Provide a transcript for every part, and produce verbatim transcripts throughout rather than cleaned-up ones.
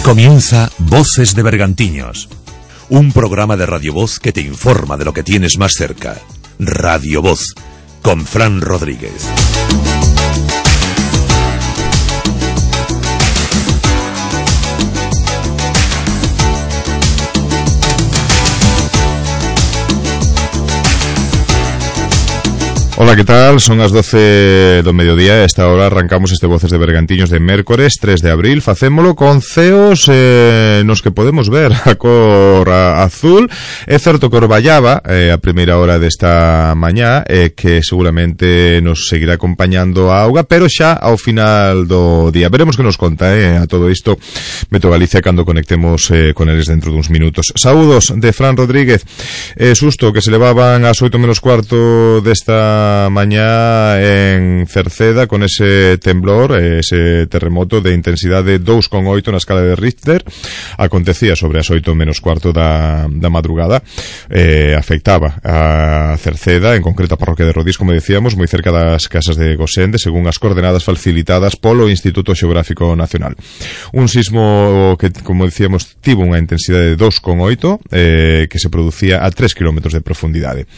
Comienza Voces de Bergantiños, un programa de Radio Voz que te informa de lo que tienes más cerca. Radio Voz, con Fran Rodríguez. Ola, que tal? Son as doce do mediodía e a esta hora arrancamos este Voces de Bergantiños de mércores tres de abril. Facémolo con ceos eh, nos que podemos ver a cor a, azul. É certo que orballaba eh, a primeira hora desta mañá eh, que seguramente nos seguirá acompañando a auga, pero xa ao final do día. Veremos que nos conta eh, a todo isto Meto Galicia cando conectemos eh, con eles dentro duns minutos. Saúdos de Fran Rodríguez. Eh, susto que se levaban ás oito menos cuarto desta mañá en Cerceda con ese temblor, ese terremoto de intensidade dos coma oito na escala de Richter. Acontecía sobre as oito menos cuarto da, da madrugada. Eh, afectaba a Cerceda, en concreto a parroquia de Rodís, como decíamos, moi cerca das casas de Gosende, según as coordenadas facilitadas polo Instituto Xeográfico Nacional. Un sismo que, como decíamos, tivo unha intensidade de dos coma oito eh, que se producía a tres kilómetros de profundidade.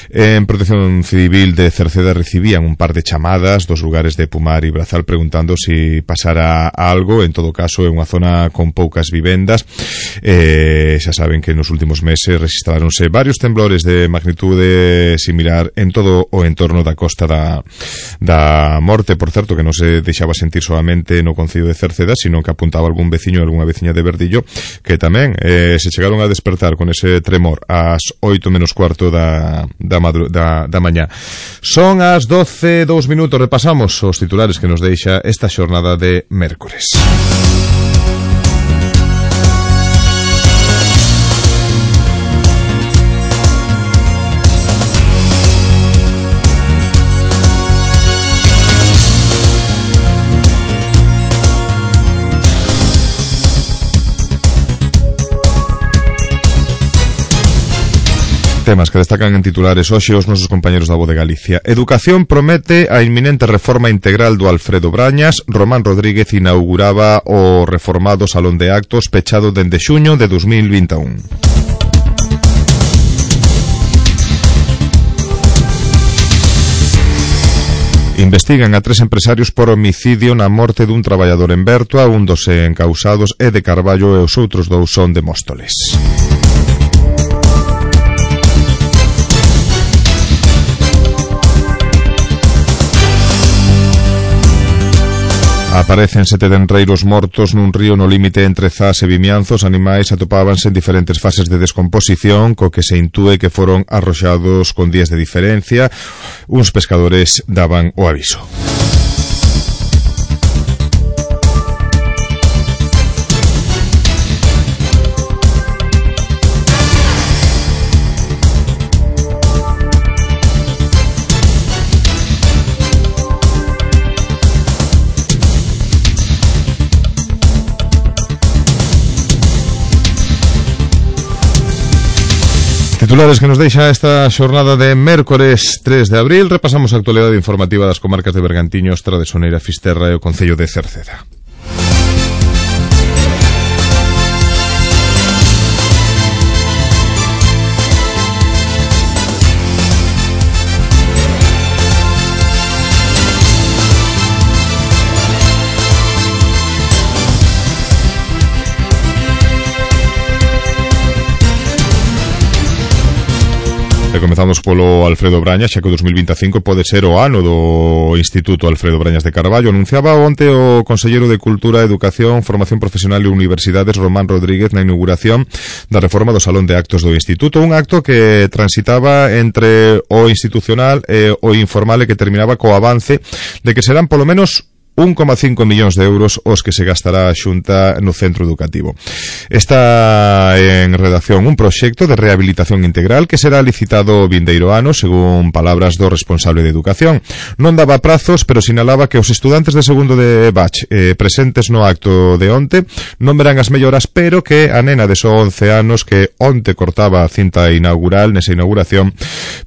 En Protección Civil de Cerceda recibían un par de chamadas dos lugares de Pumar e Brazal preguntando si pasara algo. En todo caso, é unha zona con poucas vivendas. Eh, xa saben que nos últimos meses registraronse varios temblores de magnitude similar en todo o entorno da costa da, da Morte. Por certo, que non se deixaba sentir solamente no concello de Cerceda, sino que apuntaba algún veciño, algunha veciña de Verdillo, que tamén eh, se chegaron a despertar con ese tremor ás oito menos cuarto da, da, madru, da, da mañá. Son as doce e dous minutos. Repasamos os titulares que nos deixa esta xornada de mércores. Temas que destacan en titulares hoxe os nosos compañeros da Voz de Galicia. Educación promete a inminente reforma integral do Alfredo Brañas. Román Rodríguez inauguraba o reformado Salón de Actos pechado dende xuño de dos mil vinte e un. Investigan a tres empresarios por homicidio na morte dun traballador en Bertoa. Un dos encausados é de Carballo e os outros dous son de Móstoles. Aparecen sete denreiros mortos nun río no límite entre Zas e Vimianzo. Os animais atopábanse en diferentes fases de descomposición, co que se intúe que foron arroxados con días de diferencia. Uns pescadores daban o aviso. Titulares que nos deixa esta xornada de mércores tres de abril. Repasamos a actualidade informativa das comarcas de Bergantiños, Tradesoneira, Fisterra e o concello de Cerceda. E comezamos polo Alfredo Brañas, xa que o dos mil vinte e cinco pode ser o ano do Instituto Alfredo Brañas de Carballo. Anunciaba onte o Conselleiro de Cultura, Educación, Formación Profesional e Universidades, Román Rodríguez, na inauguración da reforma do Salón de Actos do Instituto. Un acto que transitaba entre o institucional e o informal e que terminaba co avance de que serán polo menos un coma cinco millóns de euros os que se gastará a Xunta no centro educativo. Está en redacción un proxecto de rehabilitación integral que será licitado vindeiro ano, según palabras do responsable de Educación. Non daba prazos, pero sinalaba que os estudantes de segundo de bach eh, presentes no acto de onte non verán as melloras, pero que a nena de só once anos que onte cortaba a cinta inaugural nesa inauguración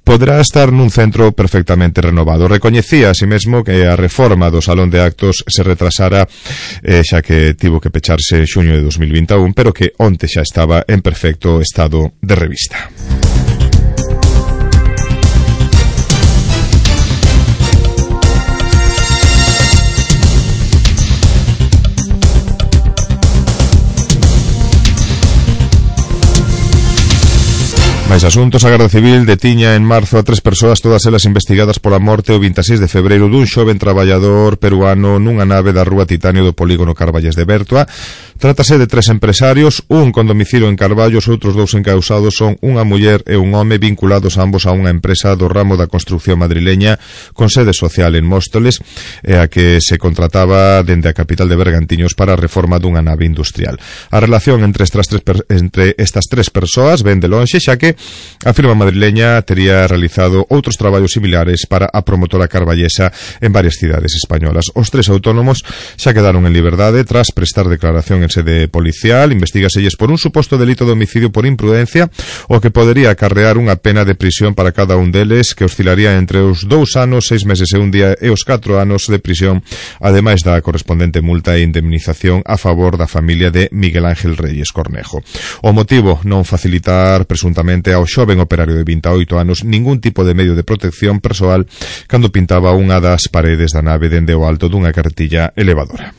poderá estar nun centro perfectamente renovado. Recoñecía así mesmo que a reforma do Salón de Actos efectos se retrasara, eh, xa que tivo que pecharse en xuño de dos mil vinte e un, pero que onte xa estaba en perfecto estado de revista. Máis asuntos. A Garda Civil detiña en marzo a tres persoas, todas elas investigadas pola morte o vinte e seis de febreiro dun xoven traballador peruano nunha nave da Rúa Titanio do polígono Carballes de Bertua. Trátase de tres empresarios, un con domicilio en Carballo, os outros dous encausados son unha muller e un home vinculados ambos a unha empresa do ramo da construción madrileña con sede social en Móstoles, e a que se contrataba dende a capital de Bergantiños para a reforma dunha nave industrial. A relación entre estas tres, entre estas tres persoas ven de lonxe, xa que a firma madrileña tería realizado outros traballos similares para a promotora carballesa en varias cidades españolas. Os tres autónomos xa quedaron en liberdade tras prestar declaración en sede policial. Investigaselles por un suposto delito de homicidio por imprudencia, o que podería acarrear unha pena de prisión para cada un deles, que oscilaría entre os dous anos, seis meses e un día e os catro anos de prisión, ademais da correspondente multa e indemnización a favor da familia de Miguel Ángel Reyes Cornejo. O motivo, non facilitar presuntamente ao xoven operario de vinte e oito anos ningún tipo de medio de protección persoal cando pintaba unha das paredes da nave dende o alto dunha carretilla elevadora.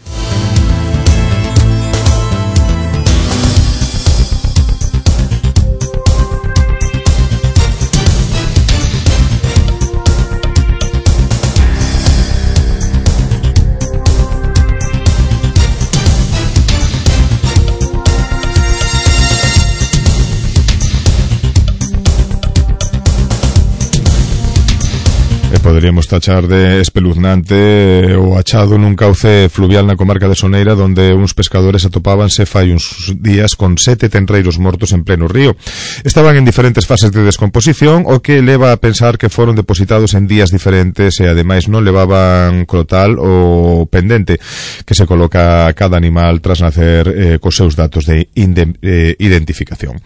Poderíamos tachar de espeluznante o achado nun cauce fluvial na comarca de Soneira, donde uns pescadores atopábanse fai uns días con sete tenreiros mortos en pleno río. Estaban en diferentes fases de descomposición, o que leva a pensar que foron depositados en días diferentes e ademais non levaban crotal ou pendente que se coloca a cada animal tras nacer eh, cos seus datos de eh, identificación.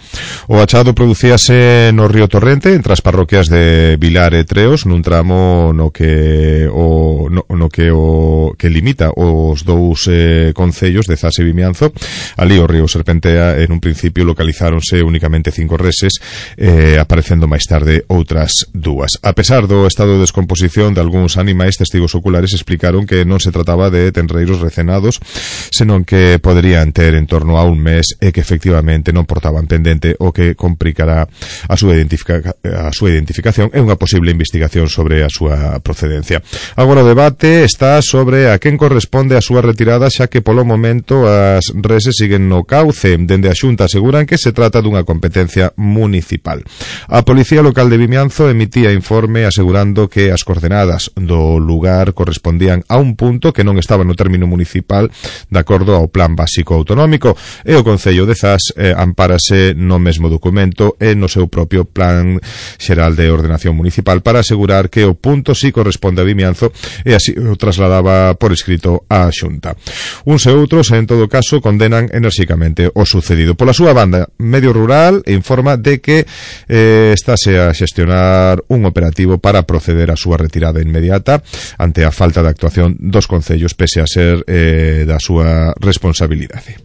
O achado producíase no río Torrente, entre as parroquias de Vilar e Treos, nun tramo no que o no, no que o que limita os dous eh, concellos de Zas e Vimianzo. Ali o río serpentea, en un principio localizáronse únicamente cinco reses, eh, aparecendo máis tarde outras dúas. A pesar do estado de descomposición de algúns animais, testigos oculares explicaron que non se trataba de tenreiros recenados, senón que poderían ter en torno a un mes e que efectivamente non portaban pendente, o que complicará a súa identifica, a súa identificación e unha posible investigación sobre a súa procedencia. Agora o debate está sobre a quen corresponde a súa retirada, xa que polo momento as reses siguen no cauce. Dende a Xunta aseguran que se trata dunha competencia municipal. A Policía Local de Vimianzo emitía informe asegurando que as coordenadas do lugar correspondían a un punto que non estaba no término municipal de acordo ao Plan Básico Autonómico, e o Concello de Zas eh, ampárase no mesmo documento e no seu propio Plan Xeral de Ordenación Municipal para asegurar que o punto si corresponde a Vimianzo, e así o trasladaba por escrito á Xunta. Uns e outros, en todo caso, condenan enerxicamente o sucedido. Pola súa banda, Medio Rural informa de que eh, estáse a xestionar un operativo para proceder á súa retirada inmediata ante a falta de actuación dos concellos, pese a ser eh, da súa responsabilidade.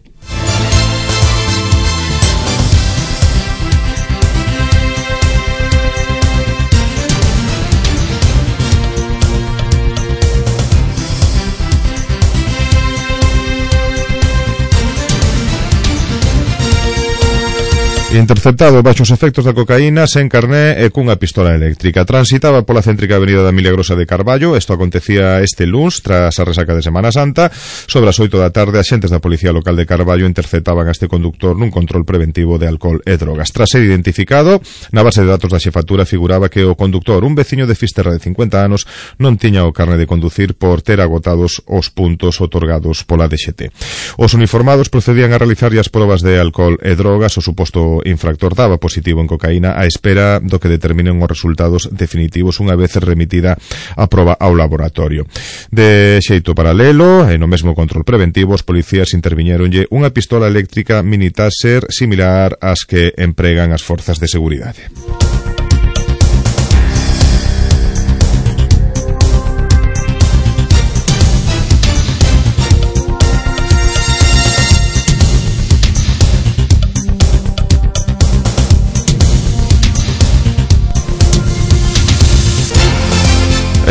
Interceptado baixo os efectos da cocaína, sen carné e cunha pistola eléctrica. Transitaba pola céntrica avenida da Milagrosa de Carballo. Isto acontecía este luns, tras a resaca de Semana Santa. Sobre as oito da tarde, axentes da Policía Local de Carballo interceptaban a este conductor nun control preventivo de alcohol e drogas. Tras ser identificado, na base de datos da xefatura figuraba que o conductor, un veciño de Fisterra de cincuenta anos, non tiña o carné de conducir por ter agotados os puntos otorgados pola D X T. Os uniformados procedían a realizar as probas de alcohol e drogas. O suposto infractor daba positivo en cocaína á espera do que determinen os resultados definitivos unha vez remitida a proba ao laboratorio. De xeito paralelo, e no mesmo control preventivo, os policías interviñeronlle unha pistola eléctrica mini Taser similar ás que empregan as forzas de seguridade.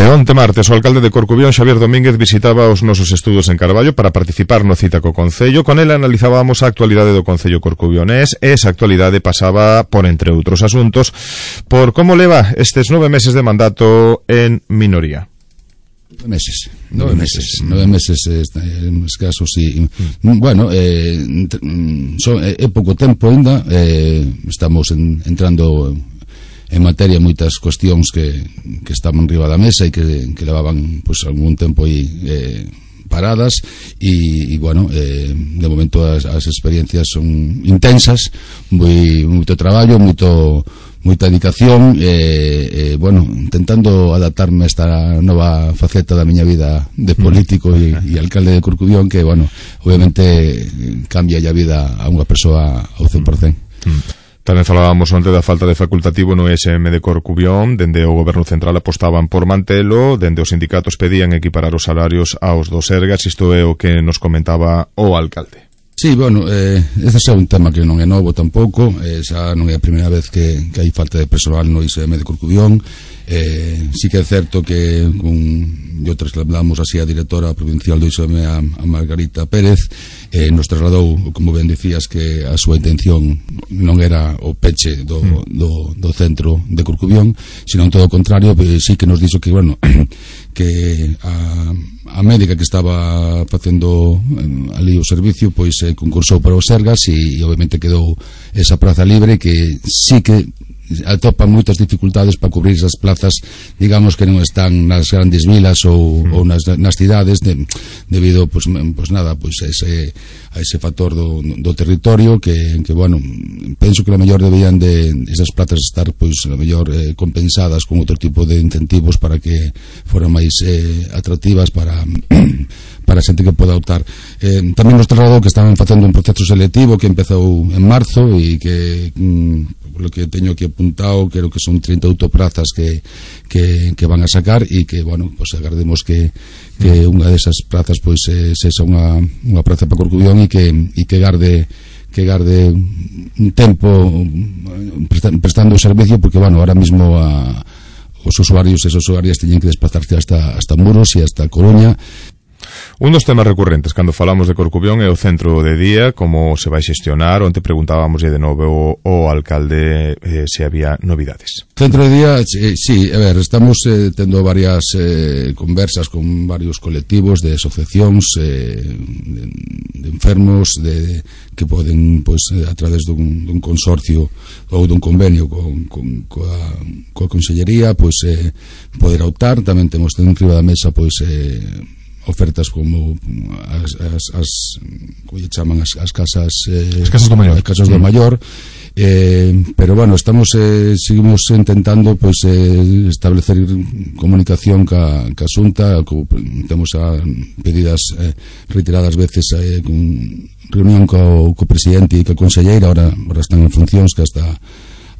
E onte martes o alcalde de Corcubión, Xavier Domínguez, visitaba os nosos estudos en Carballo para participar no cita co Concello. Con ele analizábamos a actualidade do Concello corcubionés e esa actualidade pasaba por, entre outros asuntos, por como leva estes nove meses de mandato en minoría. Nove meses, nove meses, nove meses en escaso, sí. Bueno, eh, son, é pouco tempo ainda, eh, estamos en, entrando en materia moitas cuestións que, que estaban riba da mesa e que, que levaban pues, algún tempo aí eh, paradas e, e bueno, eh, de momento as, as experiencias son intensas, moi, moito traballo, moito moita dedicación e, eh, bueno, intentando adaptarme a esta nova faceta da miña vida de político e, e alcalde de Corcubión, que, bueno, obviamente cambia a vida a unha persoa ao cen por cen. Tamén falábamos onte da falta de facultativo no E S M de Corcubión. Dende o Goberno Central apostaban por mantelo, dende os sindicatos pedían equiparar os salarios aos dos Sergas. Isto é o que nos comentaba o alcalde. Sí, bueno, eh, ese é un tema que non é novo tampouco, eh, xa non é a primeira vez que, que hai falta de personal no I S M de Corcubión. Eh, sí que é certo que con, yo trasladamos así a directora provincial do I S M a, a Margarita Pérez, eh, nos trasladou, como ben dicías, que a súa intención non era o peche do, do, do centro de Corcubión, sino en todo o contrario, eh, sí que nos dixo que, bueno, que a, a médica que estaba facendo eh, ali o servicio, pois eh, concursou para os Sergas e, e obviamente quedou esa praza libre, que sí que atopan moitas dificultades para cubrir esas plazas, digamos, que non están nas grandes vilas ou, mm. ou nas, nas cidades, de, debido, pues, pues nada, pues a ese, a ese factor do, do territorio que, que, bueno, penso que a mellor deberían de esas plazas estar, pois, a mellor eh, compensadas con outro tipo de incentivos para que foran máis eh, atractivas para para a xente que poda optar. Eh, tamén nos trasladou que estaban facendo un proceso selectivo que empezou en marzo e que, mm, por lo que teño aquí apuntado, creo que son trinta e oito prazas que, que, que van a sacar e que, bueno, pues agardemos que, que unha desas prazas pois pues, eh, sexa unha, unha praza para Corcubión e que, e que garde que garde un tempo prestando o servicio, porque, bueno, ahora mismo a, os usuarios e as usuarias teñen que desplazarse hasta, hasta Muros e hasta Coruña. Un dos temas recurrentes cando falamos de Corcubión é o centro de día, como se vai xestionar. Onte preguntábamos de novo o alcalde eh, se había novidades. Centro de día, eh, sí, a ver, estamos eh, tendo varias eh, conversas con varios colectivos de asociacións eh, de, de enfermos de, que poden, pois, a través dun, dun consorcio ou dun convenio con, con, coa, coa Consellería, pois eh, poder optar. Tamén temos en riba da mesa, pois eh, ofertas como as, as, as como lle chaman as, as casas eh, as casas do maior, as casas do maior eh, pero bueno, estamos eh, seguimos intentando pois eh, establecer comunicación ca, ca Xunta, co, temos a pedidas eh, reiteradas veces eh, con reunión co, co presidente e co conselleira, ahora, ahora están en funcións, que hasta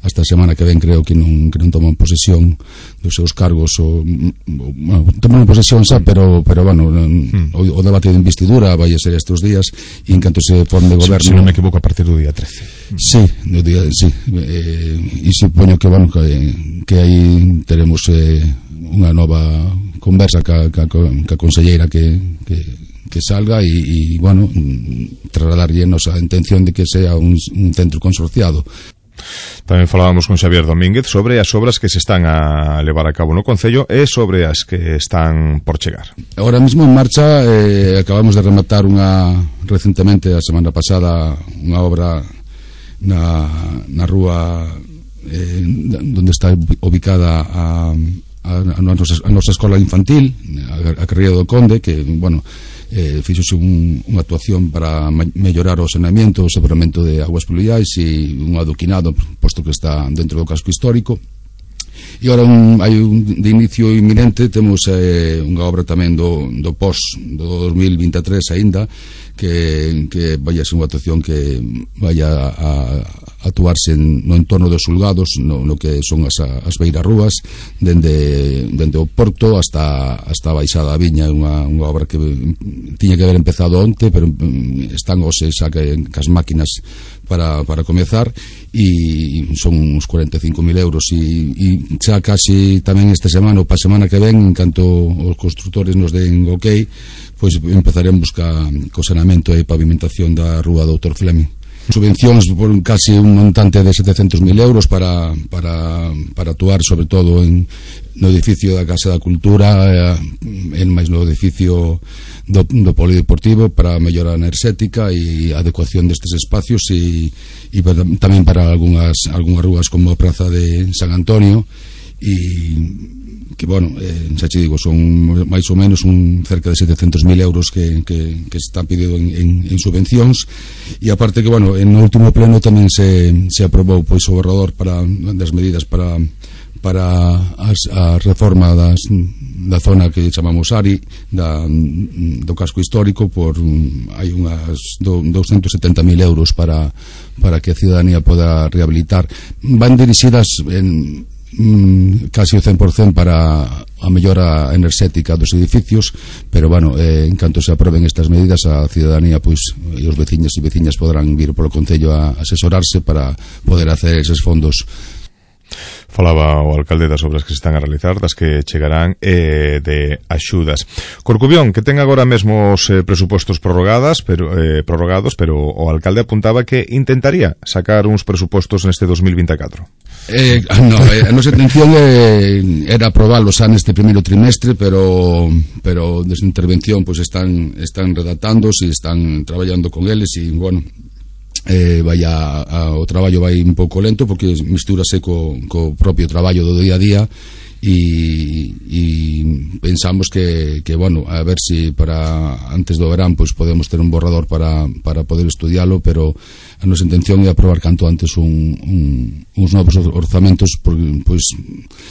hasta a semana que ven creo que non, que non toman posesión dos seus cargos ou, ou bueno, toman posesión xa, pero, pero bueno, mm. o, o debate de investidura vai a ser estes días e en canto se forme goberno, se, se non me equivoco, a partir do día trece. Sí, do día, sí eh, e supoño que, bueno, que, que aí teremos eh, unha nova conversa ca, ca, ca conselleira que, que que salga e, e bueno, trasladarlle a intención de que sea un, un centro consorciado. Tamén falábamos con Xavier Domínguez sobre as obras que se están a levar a cabo no Concello e sobre as que están por chegar. Ahora mismo en marcha, eh, acabamos de rematar unha recentemente, a semana pasada, unha obra na, na rúa eh, onde está ubicada a, a, a, nosa, a nosa escola infantil, a, a Carreira do Conde, que, bueno, eh, fixose un, unha actuación para mellorar o saneamento, o separamento de aguas pluviais e un adoquinado, posto que está dentro do casco histórico. E agora un, hai un de inicio inminente, temos eh, unha obra tamén do, do pos do dos mil vinte e tres aínda, que, que vai a ser unha actuación que vai a, a, a actuarse en, no entorno dos Sulgados, no, no que son as, as beirarrúas, dende, dende o Porto hasta, hasta a Baixada da Viña, unha, unha obra que tiña que haber empezado onte, pero están hoxe xa que, que as máquinas para, para comezar, e son uns cuarenta e cinco mil euros, e, e xa casi tamén esta semana ou pa semana que ven, en canto os constructores nos den ok, pois empezaremos ca, co saneamento e pavimentación da rúa doutor Fleming. Subvencións por casi un montante de setecentos mil euros para, para, para actuar sobre todo en, no edificio da Casa da Cultura, eh, en máis no edificio do, do polideportivo, para a mellora enerxética e adecuación destes espacios, e, e para, tamén para algunhas, algunhas rúas como a Praza de San Antonio, e que, bueno, eh, xa che digo, son máis ou menos un cerca de setecentos mil euros que, que, que está pedido en, en, en subvencións. E aparte que, bueno, en o último pleno tamén se, se aprobou pois o borrador para, das medidas para para as, a reforma das, da zona que chamamos Ari, da, do casco histórico, por hai unhas do, doscientos setenta mil euros para, para que a ciudadanía poda rehabilitar. Van dirixidas en Mm, casi o cen por cento para a mellora enerxética dos edificios, pero, bueno, eh, en canto se aproben estas medidas, a ciudadanía pois, e os veciños e veciñas poderán vir polo Concello a asesorarse para poder hacer eses fondos. Falaba o alcalde das obras que se están a realizar, das que chegarán eh, de axudas. Corcubión, que ten agora mesmo os eh, presupostos prorrogadas, pero, eh, prorrogados, pero o alcalde apuntaba que intentaría sacar uns presupostos neste dos mil vinte e catro. Eh, no, eh, a nosa intención eh, era aprobalos xa neste primeiro trimestre, pero pero desde intervención pois están están redactándose e están traballando con eles, e, bueno, eh, vai a, a, o traballo vai un pouco lento porque mistúrase co, co propio traballo do día a día, e, e pensamos que, que, bueno, a ver se si para antes do verán pois podemos ter un borrador para, para poder estudialo, pero a nosa intención é aprobar canto antes un, un, uns novos orzamentos, porque pois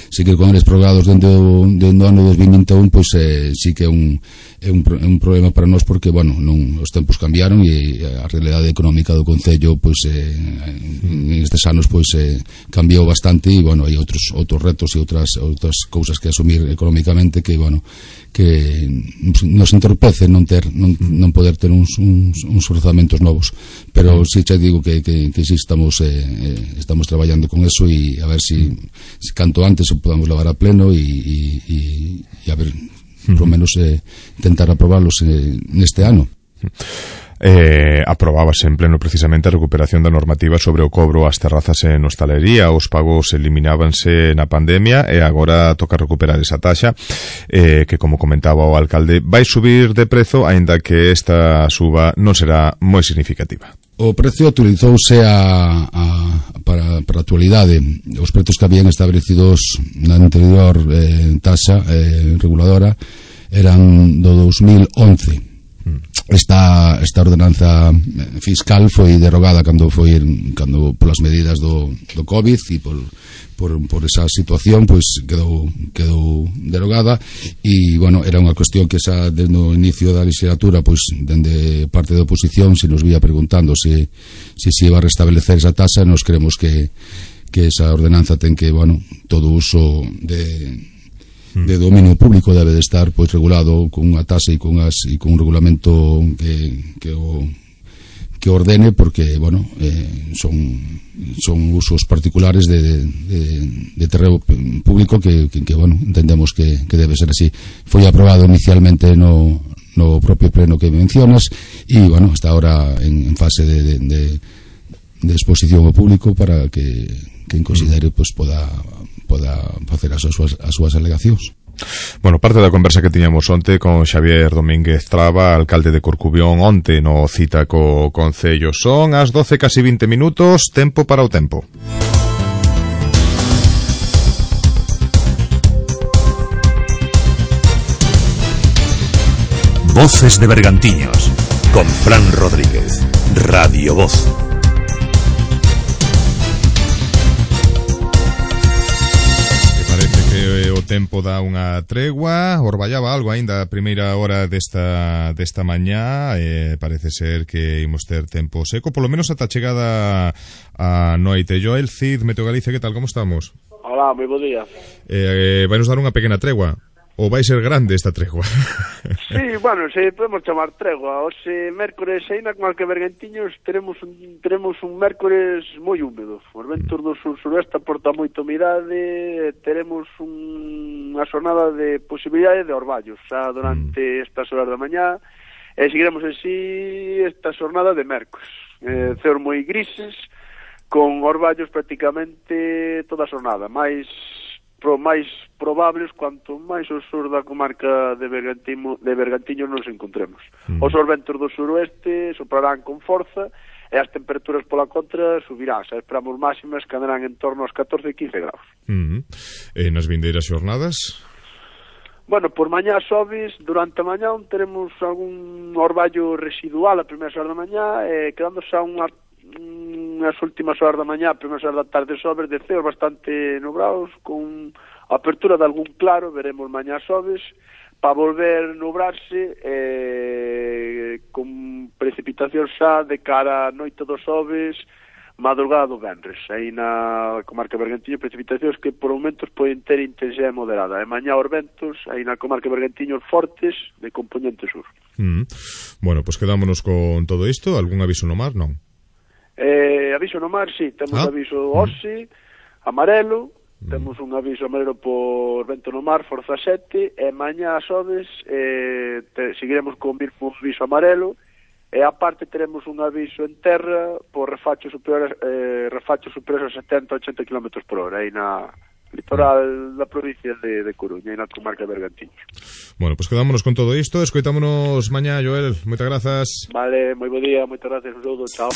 si que con eles prorrogados dentro do, do ano dos mil vinte e un, pois eh, si que é un é un, un problema para nós, porque, bueno, non, os tempos cambiaron e a realidade económica do Concello pois eh, en estes anos pois eh, cambiou bastante, e, bueno, hai outros outros retos e outras outras cousas que asumir económicamente que, bueno, que nos entorpece non ter non, non poder ter uns, uns, uns orzamentos novos, pero si xa digo que, que, que si estamos eh, estamos traballando con eso, e a ver si, si canto antes o podamos levar a pleno, e, e, e, e a ver, por lo menos eh, intentar aprobarlos eh, neste ano. Eh, aprobábase en pleno precisamente a recuperación da normativa sobre o cobro ás terrazas en hostalería. Os pagos eliminábanse na pandemia e agora toca recuperar esa taxa, eh, que, como comentaba o alcalde, vai subir de prezo, aínda que esta suba non será moi significativa. O precio actualizouse a, a, para, para a actualidade. Os prezos que habían establecidos na anterior eh, taxa eh, reguladora eran do dos mil once. Esta, esta ordenanza fiscal foi derogada cando foi cando polas medidas do, do COVID e por, por, por esa situación pois quedou, quedou derogada, e, bueno, era unha cuestión que xa desde o inicio da legislatura pois dende parte da oposición se nos vía preguntando se se, se iba a restablecer esa tasa. Nos creemos que, que esa ordenanza ten que, bueno, todo uso de de dominio público debe de estar pois regulado con unha tasa e con as e con un regulamento que que o que ordene, porque, bueno, eh, son son usos particulares de de, de terreno público que, que, que bueno, entendemos que, que debe ser así. Foi aprobado inicialmente no no propio pleno que mencionas, e, bueno, está ahora en, en fase de, de, de, de exposición ao público para que quen considere pois poda poda facer as súas, as súas alegacións. Bueno, parte da conversa que tiñamos onte con Xavier Domínguez Traba, alcalde de Corcubión, onte no cita co Concello. Son as doce casi vinte minutos, tempo para o tempo. Voces de Bergantiños, con Fran Rodríguez, Radio Voz. tempo dá unha tregua, orballaba algo aínda a primeira hora desta desta mañá, e parece ser que imos ter tempo seco, polo menos ata chegada a noite. Joel Cid, Meteo Galicia, que tal, como estamos? Hola, moi bo día. Eh, vai nos dar unha pequena tregua, ou vai ser grande esta tregua? Sí, bueno, se podemos chamar tregua. Hoxe, mércores, aínda con que Bergantiños, teremos un, teremos un mércores moi húmedo. Os ventos do sur-suroeste aporta moita humidade, teremos un, unha xornada de posibilidade de orballos xa durante estas horas da mañá, e seguiremos así esta xornada de mércores. Eh, ceos moi grises, con orballos prácticamente toda a xornada, máis pro máis probables cuanto máis ao sur da comarca de Bergantiño, de Bergantiño nos encontremos. Mm. Os ventos do suroeste soprarán con forza e as temperaturas pola contra subirán. Xa esperamos máximas que andarán en torno aos catorce e quince graus. Mm. E nas vindeiras xornadas? Bueno, por mañá sobes, durante a mañá teremos algún orballo residual a primeira hora da mañá, e quedando xa unha nas últimas horas da mañá, primeiras horas da tarde sobes de ceos bastante nubrados, con apertura de algún claro, veremos mañá sobes, para volver nubrarse, eh, con precipitación xa de cara a noite dos sobes, madrugada do venres. Aí na comarca de Bergantiño, precipitacións que por momentos poden ter intensidade moderada. E mañá os ventos, aí na comarca de Bergantiño, fortes, de componente sur. Mm. Bueno, pois pues quedámonos con todo isto. Algún aviso no mar, non? Eh, aviso no mar, sí, temos ah. aviso oxe, amarelo, mm. temos un aviso amarelo por vento no mar, forza sete, e mañá a sobes eh, te, seguiremos con un aviso amarelo, e aparte teremos un aviso en terra por refacho superior, eh, refacho superior a setenta a ochenta kilómetros por hora, aí na litoral da provincia de, de Coruña, aí na comarca de Bergantiños. Bueno, pois pues quedámonos con todo isto, escoitámonos mañá, Joel, moitas grazas. Vale, moi bo día, moitas gracias, un saúdo, chao.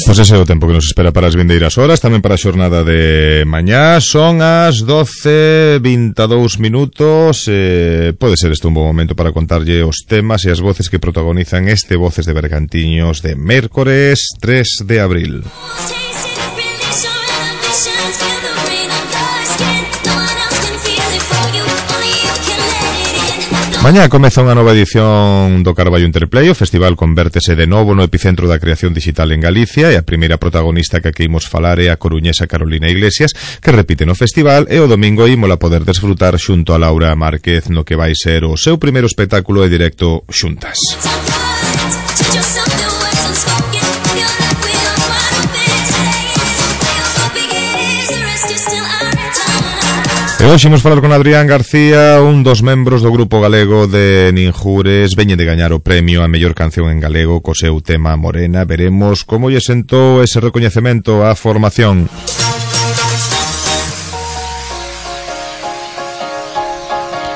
Pois ese é o tempo que nos espera para as vindeiras horas, tamén para a xornada de mañá. Son as doce e vinte e dous minutos. eh, Pode ser este un bom momento para contarlle os temas e as voces que protagonizan este Voces de Bergantiños de mércores tres de abril. Mañá comeza unha nova edición do Carballo Interplay. O festival convértese de novo no epicentro da creación digital en Galicia, e a primeira protagonista que aquí imos falar é a coruñesa Carolina Iglesias, que repite no festival, e o domingo ímola poder desfrutar xunto a Laura Márquez no que vai ser o seu primeiro espectáculo e directo xuntas. E hoxe imos falar con Adrián García, un dos membros do grupo galego de Ninjures. Veñe de gañar o premio a mellor canción en galego co seu tema Morena. Veremos como lle sentou ese recoñecemento á formación.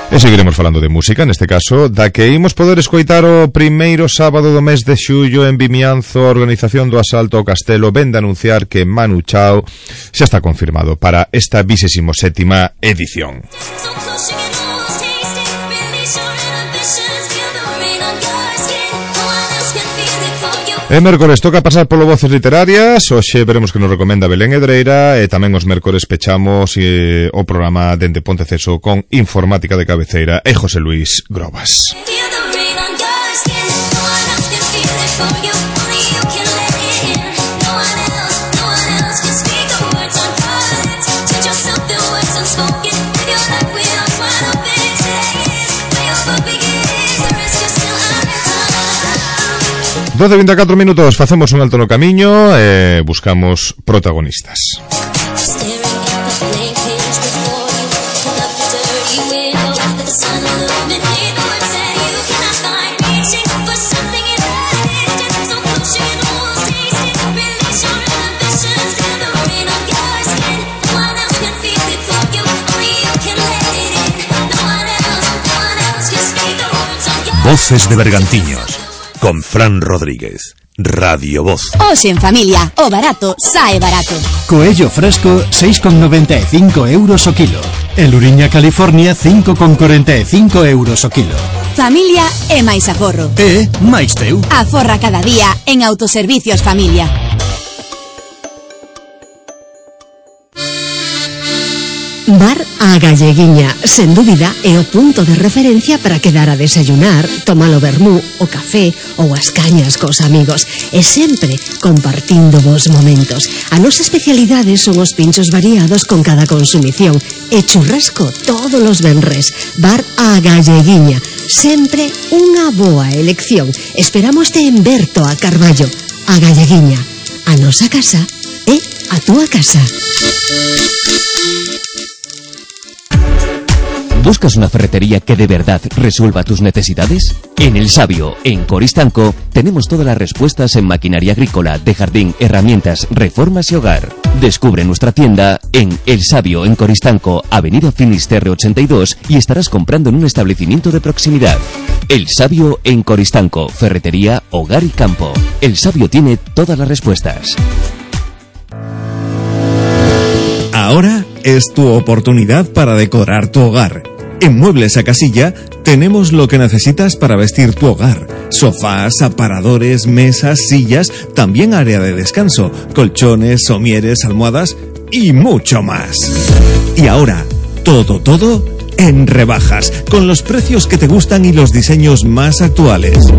E seguiremos falando de música, neste caso, da que imos poder escoitar o primeiro sábado do mes de xullo en Vimianzo. A organización do asalto ao castelo vén de anunciar que Manu Chao xa está confirmado para esta vigésima sétima edición. E mércores toca pasar polo Voces Literarias. Hoxe veremos que nos recomenda Belén Edreira, e tamén os mércores pechamos e, o programa dende Ponteceso con Informática de Cabeceira e José Luis Grobas. doce e vinte e catro minutos, facemos un alto no camiño e buscamos protagonistas. Voces de Bergantiños. con Fran Rodríguez. Radio Voz. Hoxe en familia, o barato sae barato. Coello fresco, seis con noventa e cinco euros o kilo. E Luriña California, cinco con corenta e cinco euros o kilo. Familia e máis aforro. E máis teu. Aforra cada día en Autoservicios Familia. Bar A Galleguiña, sen dúbida, é o punto de referencia para quedar a desayunar, tomar o vermú, o café ou as cañas cos amigos, e sempre compartindo vos momentos. A nosa especialidade son os pinchos variados con cada consumición e churrasco todos os venres. Bar A Galleguiña, sempre unha boa elección. Esperámoste en Berto a Carballo. A Galleguiña, a nosa casa é a túa casa. ¿Buscas una ferretería que de verdad resuelva tus necesidades? En El Sabio, en Coristanco, tenemos todas las respuestas en maquinaria agrícola, de jardín, herramientas, reformas y hogar. Descubre nuestra tienda en El Sabio, en Coristanco, Avenida Finisterre ochenta y dos, y estarás comprando en un establecimiento de proximidad. El Sabio, en Coristanco, ferretería, hogar y campo. El Sabio tiene todas las respuestas. Ahora es tu oportunidad para decorar tu hogar. En Muebles a Casilla tenemos lo que necesitas para vestir tu hogar. Sofás, aparadores, mesas, sillas, también área de descanso, colchones, somieres, almohadas y mucho más. Y ahora, todo, todo en rebajas, con los precios que te gustan y los diseños más actuales.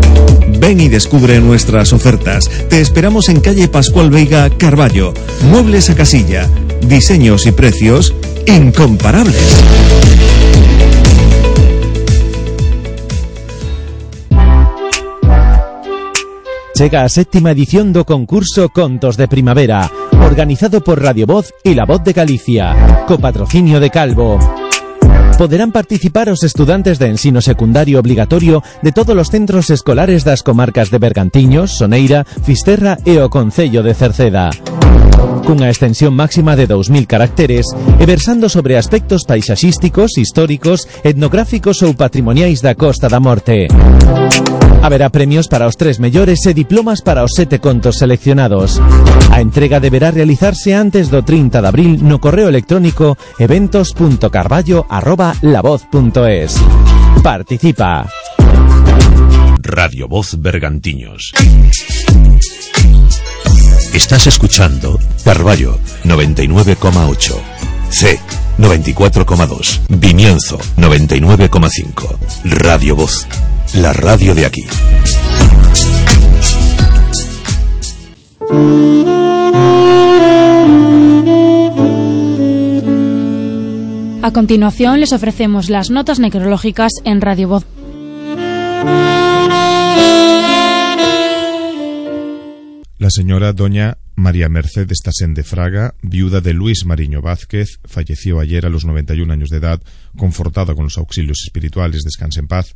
Ven y descubre nuestras ofertas. Te esperamos en calle Pascual Veiga, Carballo. Muebles a Casilla. Diseños y precios incomparables. Chega a séptima edición do concurso Contos de Primavera, organizado por Radio Voz e La Voz de Galicia, co patrocinio de Calvo. Poderán participar os estudantes de ensino secundario obligatorio de todos os centros escolares das comarcas de Bergantiños, Soneira, Fisterra e o Concello de Cerceda. Cunha extensión máxima de dous mil caracteres e versando sobre aspectos paisaxísticos, históricos, etnográficos ou patrimoniais da Costa da Morte. Haberá premios para os tres mellores e diplomas para os sete contos seleccionados. A entrega deberá realizarse antes do trinta de abril no correo electrónico eventos punto carballo arroba lavoz punto es. Participa. Radio Voz Bergantiños. Estás escuchando Carballo noventa y nueve coma ocho, C noventa y cuatro coma dos, Vimianzo noventa y nueve coma cinco, Radio Voz, la radio de aquí. A continuación les ofrecemos las notas necrológicas en Radio Voz. La señora doña María Mercedes Tasende Fraga, viuda de Luis Mariño Vázquez, falleció ayer a los noventa y un años de edad, confortada con los auxilios espirituales. Descanse en paz.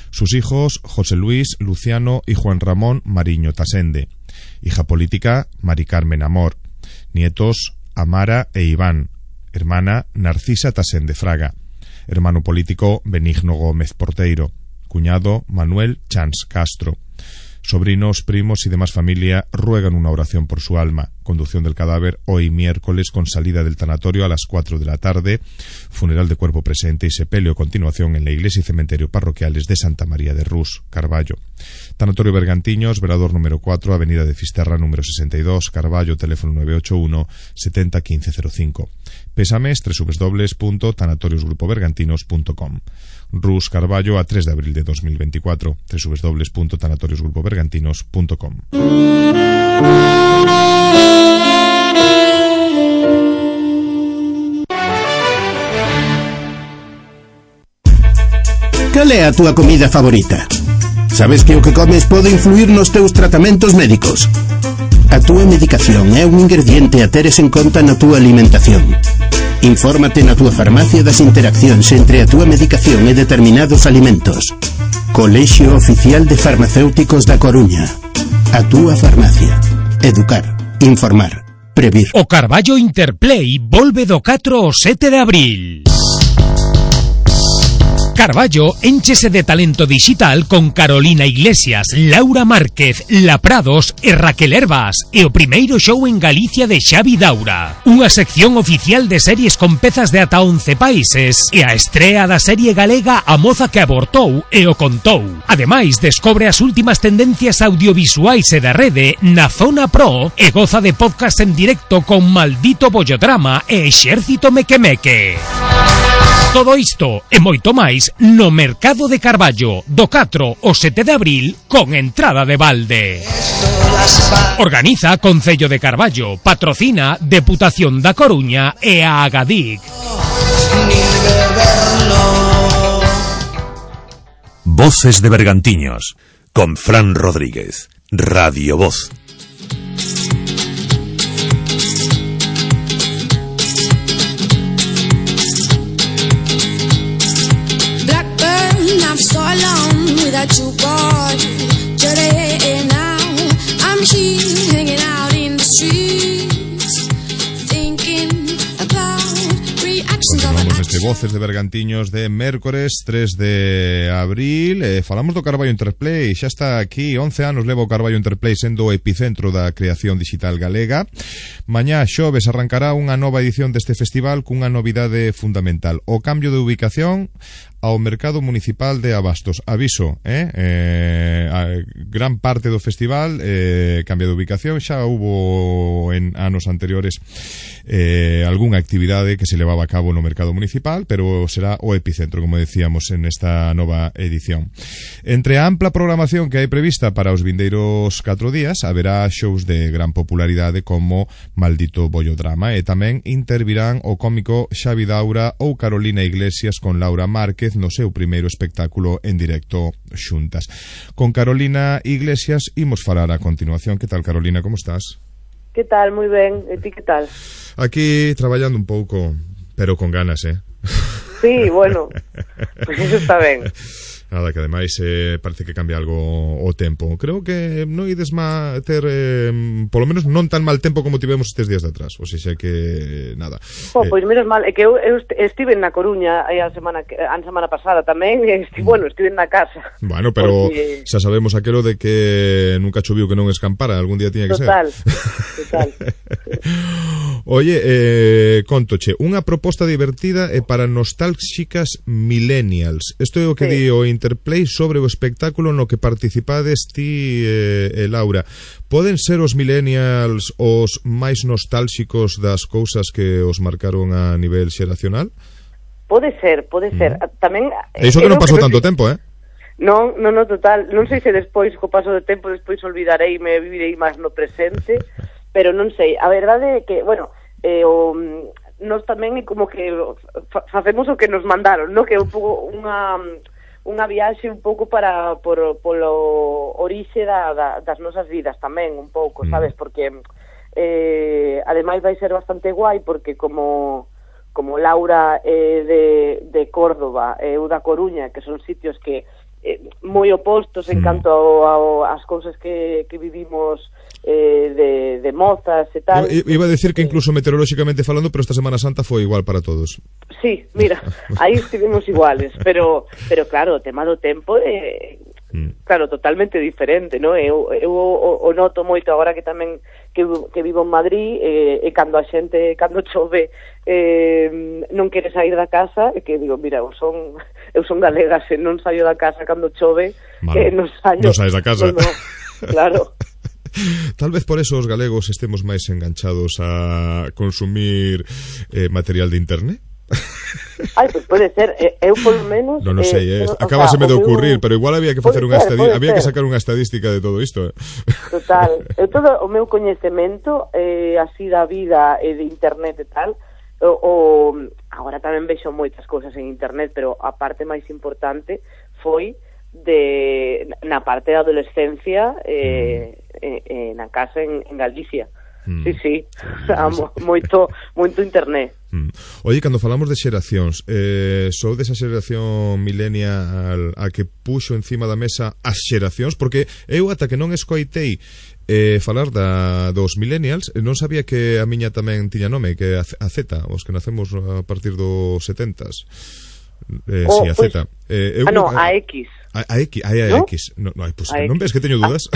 Sus hijos, José Luis, Luciano y Juan Ramón Mariño Tasende. Hija política, Mari Carmen Amor. Nietos, Amara e Iván. Hermana, Narcisa Tasende Fraga. Hermano político, Benigno Gómez Porteiro. Cuñado, Manuel Chans Castro. Sobrinos, primos y demás familia ruegan una oración por su alma. Conducción del cadáver hoy miércoles con salida del tanatorio a las cuatro de la tarde. Funeral de cuerpo presente y sepelio a continuación en la iglesia y cementerio parroquiales de Santa María de Rús, Carballo. Tanatorio Bergantiños, velador número cuatro, avenida de Fisterra número sesenta y dos, Carballo, teléfono nueve ocho uno, setenta, quince cero cinco. Pésames, doble u doble u doble u punto tanatorios grupo bergantinos punto com. Rús, Carballo, a tres de abril de dos mil veinticuatro, doble u doble u doble u punto tanatorios grupo bergantinos punto com. Cal é a túa comida favorita? Sabes que o que comes pode influir nos teus tratamentos médicos? A túa medicación é un ingrediente a teres en conta na túa alimentación. Infórmate na túa farmacia das interaccións entre a túa medicación e determinados alimentos. Colexio Oficial de Farmacéuticos da Coruña. A túa farmacia. Educar, informar, previr. O Carballo Interplay volve do catro ao sete de abril. Carballo énchese de talento digital con Carolina Iglesias, Laura Márquez, La Prados e Raquel Herbas e o primeiro show en Galicia de Xavi Daura. Unha sección oficial de series con pezas de ata once países e a estrea da serie galega A Moza que Abortou e o Contou. Ademais, descobre as últimas tendencias audiovisuais e da rede na Zona Pro e goza de podcast en directo con Maldito Bollodrama e Exército Mequemeque. Todo isto e moito máis no Mercado de Carballo do catro ao sete de abril con entrada de balde. Organiza Concello de Carballo, patrocina Deputación da Coruña e a Agadic. Voces de Bergantiños con Fran Rodríguez, Radio Voz. So long without you, boy. Today now I'm here hanging out in the streets, thinking about reactions of Continuamos este Voces de Bergantiños de mércores tres de abril. eh, Falamos do Carballo Interplay. Xa está aquí, once anos leva o Carballo Interplay sendo o epicentro da creación digital galega. Mañá xoves arrancará unha nova edición deste festival cunha novidade fundamental: o cambio de ubicación ao mercado municipal de Abastos. Aviso, eh? eh a gran parte do festival eh, cambia de ubicación. Xa hubo en anos anteriores eh, algunha actividade que se levaba a cabo no mercado municipal, pero será o epicentro, como decíamos, en esta nova edición. Entre a ampla programación que hai prevista para os vindeiros catro días, haberá shows de gran popularidade como Maldito Bollodrama, e tamén intervirán o cómico Xavi Daura ou Carolina Iglesias con Laura Márquez no seu primeiro espectáculo en directo xuntas. Con Carolina Iglesias imos falar a continuación. Que tal, Carolina, como estás? Que tal? Moi ben. E ti que tal? Aquí traballando un pouco, pero con ganas, eh? Sí, bueno, pues eso está ben. Nada, que ademais eh, parece que cambia algo o tempo. Creo que non ides má ter eh, polo menos non tan mal tempo como tivemos estes días de atrás. O sea, que nada. Oh, pois menos mal, é que eu, eu estive na Coruña a semana a semana pasada tamén, e esti, bueno, estive na casa. Bueno, pero porque... xa sabemos aquelo de que nunca choviu que non escampara, algún día tiña que total, ser. Total, total. Oye, eh, contoche, unha proposta divertida e para nostálxicas millennials. Isto é o que sí. Di o Interplay sobre o espectáculo no que participades ti e, e Laura. Poden ser os millennials os máis nostálxicos das cousas que os marcaron a nivel xeracional? Pode ser, pode ser. Mm. Tamén e iso que non pasou tanto tempo, eh? Non, non, non, total. Non sei se despois, co paso do tempo, despois olvidarei e me vivirei máis no presente, pero non sei. A verdade é que, bueno, eh, o, nos tamén é como que fa, facemos o que nos mandaron, no? Que é un pouco unha... unha viaxe un pouco para por, polo orixe da, da, das nosas vidas tamén, un pouco, sabes? Porque eh, ademais vai ser bastante guai, porque como como Laura é de, de Córdoba e eu da Coruña, que son sitios que eh, moi opostos en canto ao, ás cousas que, que vivimos eh, de, de mozas e tal. Iba a decir que incluso meteorolóxicamente falando, pero esta Semana Santa foi igual para todos. Sí, mira, aí estivemos iguales, pero pero claro, o tema do tempo é mm. claro, totalmente diferente, ¿no? Eu, eu o, o noto moito agora que tamén que, que vivo en Madrid, eh, e cando a xente, cando chove eh, non quere sair da casa, e que digo, mira, eu son eu son galega, se non saio da casa cando chove, vale. eh, non saio. Non saes da casa. No, no, claro. Tal vez por eso os galegos estemos máis enganchados a consumir eh, material de internet. Ai, pois pues pode ser, eu polo menos non no sei, eh, eh, acabaseme o sea, de ocurrir, meu... pero igual había que facer unha estadística, había que ser. sacar unha estadística de todo isto. Eh. Total, eu todo o meu coñecemento eh, así da vida e de internet e tal, o, o agora tamén vexo moitas cousas en internet, pero a parte máis importante foi de na parte da adolescencia eh, mm. eh, eh, na casa en, en Galicia. Mm. Sí, sí, amo, moito, moito internet. Mm. Oye, cando falamos de xeracións, eh, sou desa xeración millennial a que puxo encima da mesa as xeracións, porque eu ata que non escoitei eh, falar da, dos millennials, non sabía que a miña tamén tiña nome, que a, a Z, os que nacemos a partir dos setentas. Eh, O, sí, a pois- Z. Eh, eu ah, no, creo que- a X. A, a X, a, a ¿No? X. No, no, ai, pues, A non X. ves que teño dudas?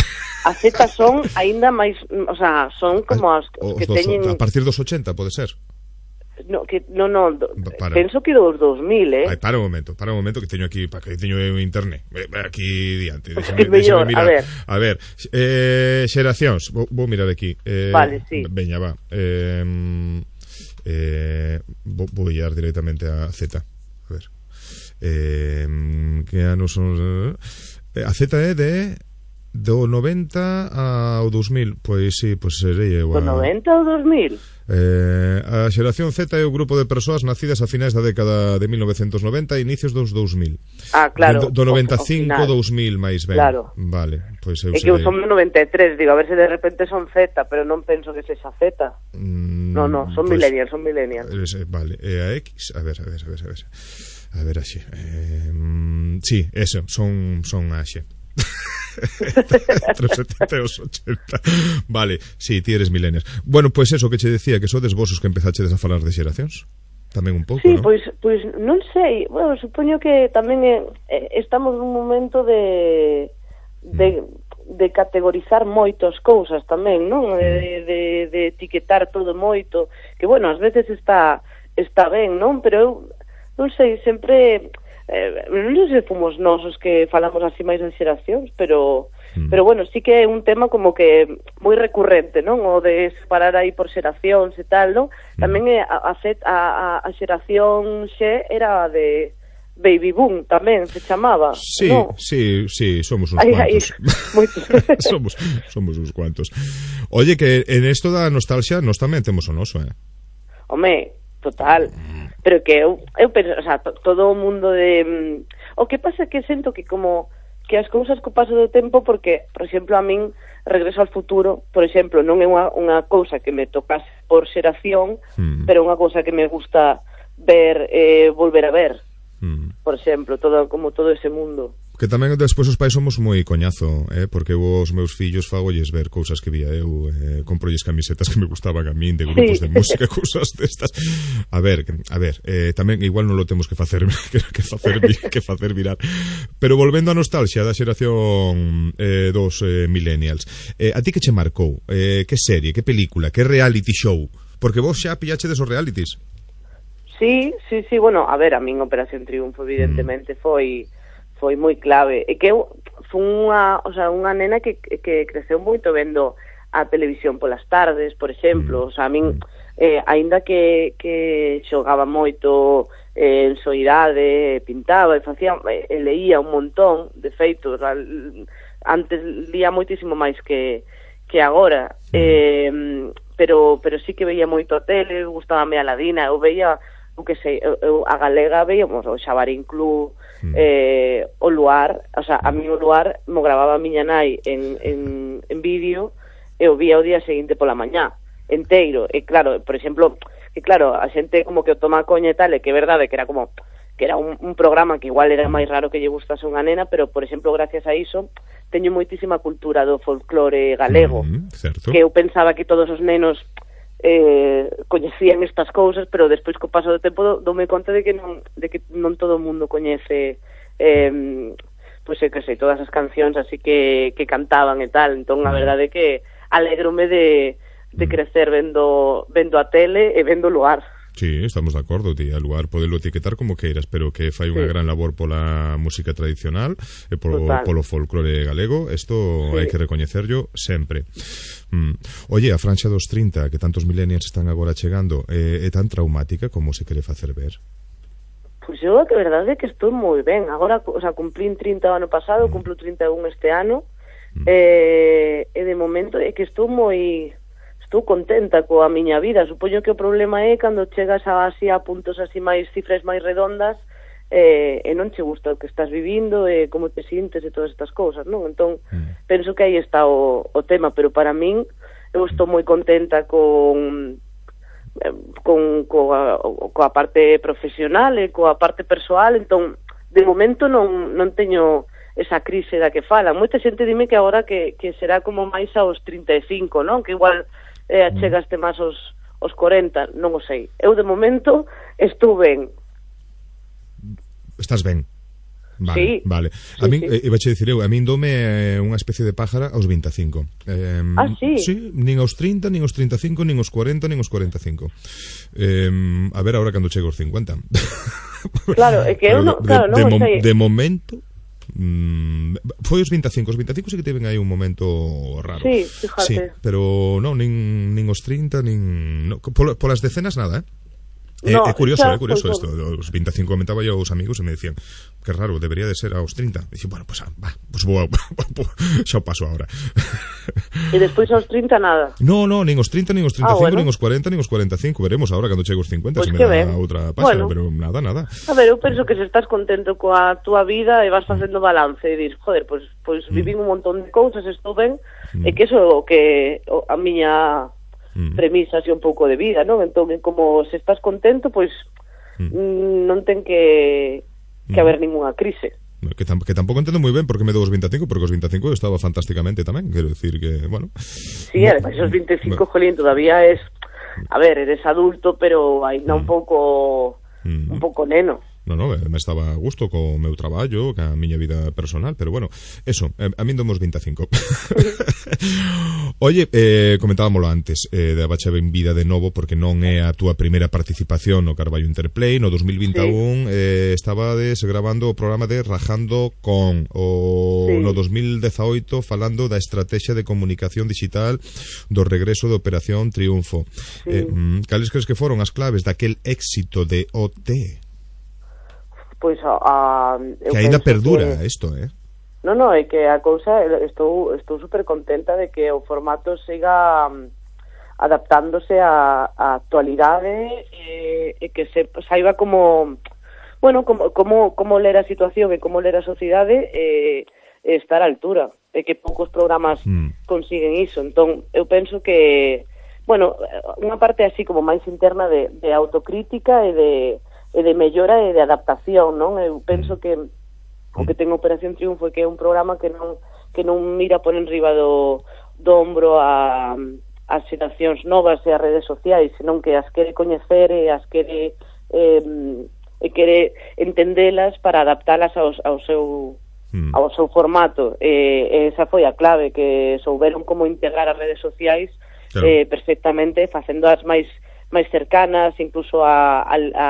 A Z son aínda máis, o sea, son como as Os que dos- teñen a partir dos ochenta, pode ser? no, que no, no, do, para. penso que dos dos mil, eh. Ai, para un momento, para un momento que teño aquí, para que teño eu internet. Eh, Aquí diante, Pues déxame, é mellor, déxame mirar. a ver. A ver, eh, xeracións, vou, vou mirar aquí. Eh, Vale, sí. Veña, va. Eh, eh, vou, vou ir directamente a Z. A ver. Eh, que anos son... Eh, a Z é de do noventa ao dos mil. Pois sí, pois serei eu a... Do noventa ao dos mil? Eh, a xeración Z é o grupo de persoas nacidas a finais da década de mil novecentos noventa e inicios dos dos mil. Ah, claro. Do, do noventa e o- o cinco final. ao dos mil máis ben. Claro. Vale, pois eu É que eu serei... son do noventa e tres, digo, a ver se de repente son Z, pero non penso que sexa Z. Mm, No, no, son pois- millennials, son millennials. Eh, Vale, e a X, a ver, a ver, a ver, a ver. A ver, así. Eh, mm, sí, eso, son son axe. Entre os setenta e os ochenta. Vale, sí, ti eres millennials. Bueno, pois pues eso que che decía, que sodes vos os que empezachedes a falar de xeracións. Tamén un pouco, Sí, ¿no? pois, pois non sei, bueno, supoño que tamén é, é, estamos nun momento de de, de categorizar moitas cousas tamén, non? De, de, de etiquetar todo moito, que bueno, ás veces está está ben, non? Pero eu non sei, sempre eh, non sei se fomos nós os que falamos así máis de xeracións, pero Mm. pero bueno, sí que é un tema como que moi recurrente, non? O de separar aí por xeracións e tal, non? Tamén é a, a, a, a xeración X era de Baby Boom tamén se chamaba, Sí, ¿no? sí, sí, somos uns Aí, aí, cuantos. somos, somos uns cuantos. Oye, que en esto da nostalgia nos tamén temos o noso, eh? Home, total. Pero que eu, eu penso, o sea, to, todo o mundo de... mm, o que pasa é que sento que como que as cousas co paso do tempo, porque, por exemplo, a min Regreso ao Futuro, por exemplo, non é unha, unha cousa que me tocase por xeración, Mm. pero é unha cousa que me gusta ver, eh, volver a ver. Mm. Por exemplo, todo como todo ese mundo. Que tamén despois os pais somos moi coñazo, eh? Porque eu os meus fillos fagolles ver cousas que vía eu, eh, comprolles camisetas que me gustaban a min de grupos Sí. de música, cousas destas. A ver, a ver, eh, tamén igual non lo temos que facer que, que facer que facer virar. Pero volvendo á nostalgia da xeración eh, dos eh, millennials. Eh, a ti que che marcou? Eh, que serie, que película, que reality show? Porque vos xa pillachedes os realities. Sí, sí, sí, bueno, a ver, a min Operación Triunfo evidentemente foi foi moi clave. E que eu fui unha, o sea, unha nena que, que creceu moito vendo a televisión polas tardes, por exemplo, o sea, a min eh, aínda que, que xogaba moito eh, en soidade, pintaba e facía, e leía un montón, de feito, o sea, antes lía moitísimo máis que que agora, eh, pero pero sí que veía moito a tele, gustábame a Ladina, eu veía o que sei, eu, eu a galega veíamos o Xabarín Club, mm. eh, o Luar, o sea, a mí o Luar mo grababa a miña nai en, en, en vídeo e o vía o día seguinte pola mañá, enteiro, e claro, por exemplo, que claro, a xente como que o toma a coña e tal, e que é verdade que era como que era un, un programa que igual era máis raro que lle gustase unha nena, pero por exemplo, gracias a iso teño moitísima cultura do folclore galego, Mm, certo. que eu pensaba que todos os nenos eh, coñecían estas cousas, pero despois co paso do tempo dome conta de que non, de que non todo o mundo coñece eh, pois é que sei, todas as cancións así que, que cantaban e tal, entón a verdade é que alegrome de, de crecer vendo vendo a tele e vendo o Luar. Sí, estamos de acordo, tía. Lugar podelo etiquetar como queiras, pero que fai unha Sí. gran labor pola música tradicional e polo, Total. polo folclore galego. Isto Sí. hai que recoñecerlo sempre. Mm. Oye, a franxa dos trinta, que tantos millennials están agora chegando, eh, é tan traumática como se quere facer ver? Pois eu a que verdade é que estou moi ben. Agora, o sea, cumplín trinta o ano pasado, cumplo trinta e un este ano, eh, e de momento é que estou moi... estou contenta coa miña vida. Supoño que o problema é cando chegas a, así a puntos así máis cifras máis redondas eh, e non che gusta o que estás vivindo e como te sintes e todas estas cousas, non? Entón, mm. penso que aí está o, o tema, pero para min eu estou moi contenta con con coa, coa parte profesional e coa parte persoal, entón de momento non, non teño esa crise da que falan. Moita xente dime que agora que, que será como máis aos trinta e cinco, non? Que igual eh, chegaste máis aos, aos corenta, non o sei. Eu de momento estou ben. Estás ben? Vale, sí. Vale. Sí, a min, sí. eh, iba a dicir eu, a min dome unha especie de pájara aos vinte e cinco. Eh, ah, sí? Sí, nin aos trinta, nin aos trinta e cinco, nin aos cuarenta, nin aos cuarenta e cinco. Eh, a ver agora cando chego aos cincuenta. Claro, é que eu non, claro, de, non de, sei. de momento mm, foi os vinte e cinco, os vinte e cinco sí que tiven aí un momento raro. Sí, fíjate. Sí, pero non, nin, nin os trinta, nin no, por, por as decenas nada, eh? É, no, é curioso, é curioso pues, isto. Os vinte e cinco comentaba yo aos amigos e me decían que raro, debería de ser aos trinta. E dixo, bueno, pues, va, pues vou, xa o paso agora. E despois aos trinta nada. No, no, nin os trinta, nin os trinta e cinco, ah, bueno. nin os cuarenta, nin os cuarenta e cinco. Veremos agora cando chego aos cincuenta, pues se me dá ben. outra páxina, bueno. pero nada, nada. A ver, eu penso que se estás contento coa túa vida e vas facendo balance e dir, joder, pois pues, pues mm. vivín un montón de cousas, estou ben, mm. e que eso o que o, a miña mm. premisa así un pouco de vida, non? Entón, como se estás contento, pois pues, mm. non ten que que haber ninguna crise. Que, tam que tampouco entendo moi ben porque me dou os vinte e cinco, porque os vinte e cinco eu estaba fantásticamente tamén, quero decir que, bueno. Sí, además os vinte e cinco, bueno. Jolín, todavía es, a ver, eres adulto, pero ainda un pouco mm. un pouco neno. No, no, me estaba a gusto co meu traballo, ca miña vida personal, pero bueno, eso, a min domos vinte e cinco. Oye, eh, comentábamoslo antes, eh, de Abacha benvida de novo, porque non é a túa primeira participación no Carballo Interplay. No dos mil vinte e un sí. eh, estabades grabando o programa de Rajando con, o sí. no dos mil dezaoito falando da estrategia de comunicación digital do regreso de Operación Triunfo. Sí. Eh, cales crees que foron as claves daquel éxito de O T? Pois a, a que ainda perdura que, isto, eh? Non, non, é que a cousa estou estou super contenta de que o formato siga um, adaptándose á, á actualidade e, e que se saiba como bueno, como, como, como ler a situación e como ler a sociedade e, e estar á altura, e que poucos programas mm. consiguen iso. Entón, eu penso que bueno, unha parte así como máis interna de, de autocrítica e de e de mellora e de adaptación, non? Eu penso que o que ten Operación Triunfo é que é un programa que non que non mira por enriba do, do ombro a as xeracións novas e as redes sociais, senón que as quere coñecer e as quere eh, e quere entendelas para adaptalas ao, ao seu mm. ao seu formato. E, esa foi a clave, que souberon como integrar as redes sociais claro. eh, perfectamente, facendo as máis máis cercanas, incluso a, a, a,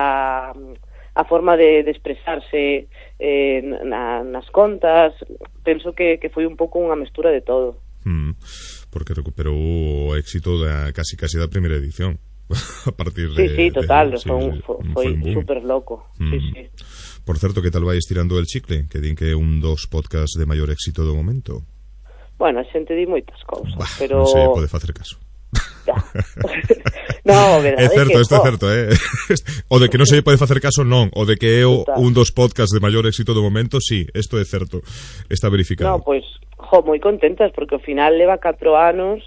a forma de, de expresarse eh, na, nas contas. Penso que, que foi un pouco unha mestura de todo. Mm, porque recuperou o éxito da casi casi da primeira edición. A partir de... Sí, sí, total, de, sí, foi, sí, foi, foi super loco. Mm. Sí, sí. Por certo, que tal vai estirando el chicle? Que din que é un dos podcasts de maior éxito do momento. Bueno, a xente di moitas cousas, bah, pero... Non sei, pode facer caso. No, verdade, é certo, que, isto é certo, eh? O de que non se pode facer caso, non. O de que é o, un dos podcasts de maior éxito do momento, sí, isto é certo. Está verificado. No, pois, pues, jo, moi contentas, porque ao final leva catro anos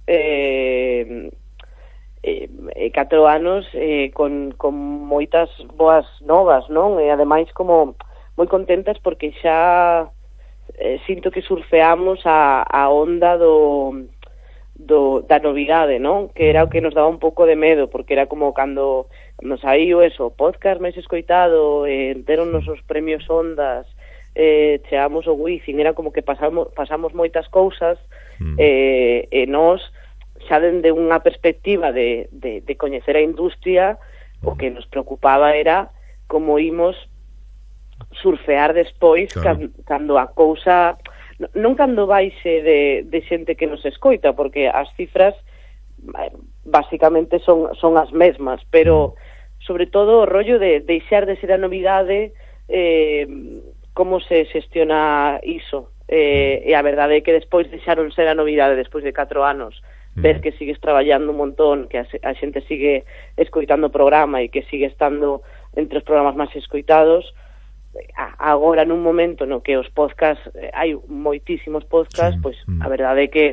eh, eh, catro anos eh, con, con moitas boas novas, non? E ademais como moi contentas porque xa eh, sinto que surfeamos a, a onda do Do, da novidade, non? Que era o que nos daba un pouco de medo, porque era como cando nos saiu eso, podcast máis escoitado, eh, enteronos os premios Ondas, eh, cheamos o Wizzing, era como que pasamos, pasamos moitas cousas, mm. eh, e nós, xa dende unha perspectiva de, de, de coñecer a industria, o que nos preocupaba era como imos surfear despois, claro. can, cando a cousa... Non cando baixe de, de xente que nos escoita, porque as cifras basicamente son, son as mesmas, pero sobre todo o rollo de deixar de ser a novidade, eh, como se xestiona iso, eh, e a verdade é que despois deixaron ser a novidade despois de catro anos, ver que sigues traballando un montón, que a, a xente sigue escoitando o programa e que sigue estando entre os programas máis escoitados. Agora nun momento no que os podcasts, hai moitísimos podcasts, sí, pois mm. a verdade é que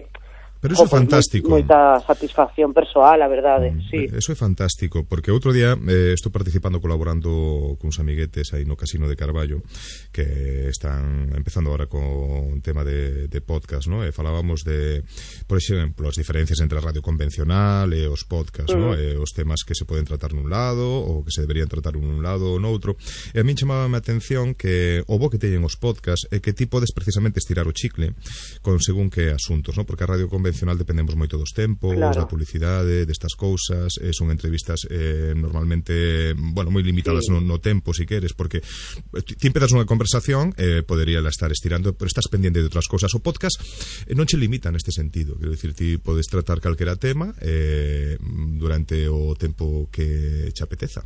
Pero eso é fantástico. Moita satisfacción persoal, a verdade, mm, sí. Eso é fantástico, porque outro día eh, estou participando, colaborando cuns amiguetes aí no Casino de Carballo, que están empezando agora con un tema de, de podcast, ¿no? E falábamos de, por exemplo, as diferencias entre a radio convencional e os podcast, mm. ¿no? E os temas que se poden tratar nun lado ou que se deberían tratar nun lado ou noutro. E a min chamaba a atención que o bo que teñen os podcast é que ti podes precisamente estirar o chicle con según que asuntos, ¿no? Porque a radio convencional convencional dependemos moito dos tempos, claro, da publicidade, destas cousas, eh, son entrevistas eh, normalmente, bueno, moi limitadas sí. no, no tempo, si queres, porque ti empezas unha conversación, eh, podería la estar estirando, pero estás pendiente de outras cousas. O podcast eh, non che limita neste sentido, quero dicir, ti podes tratar calquera tema eh, durante o tempo que che apeteza.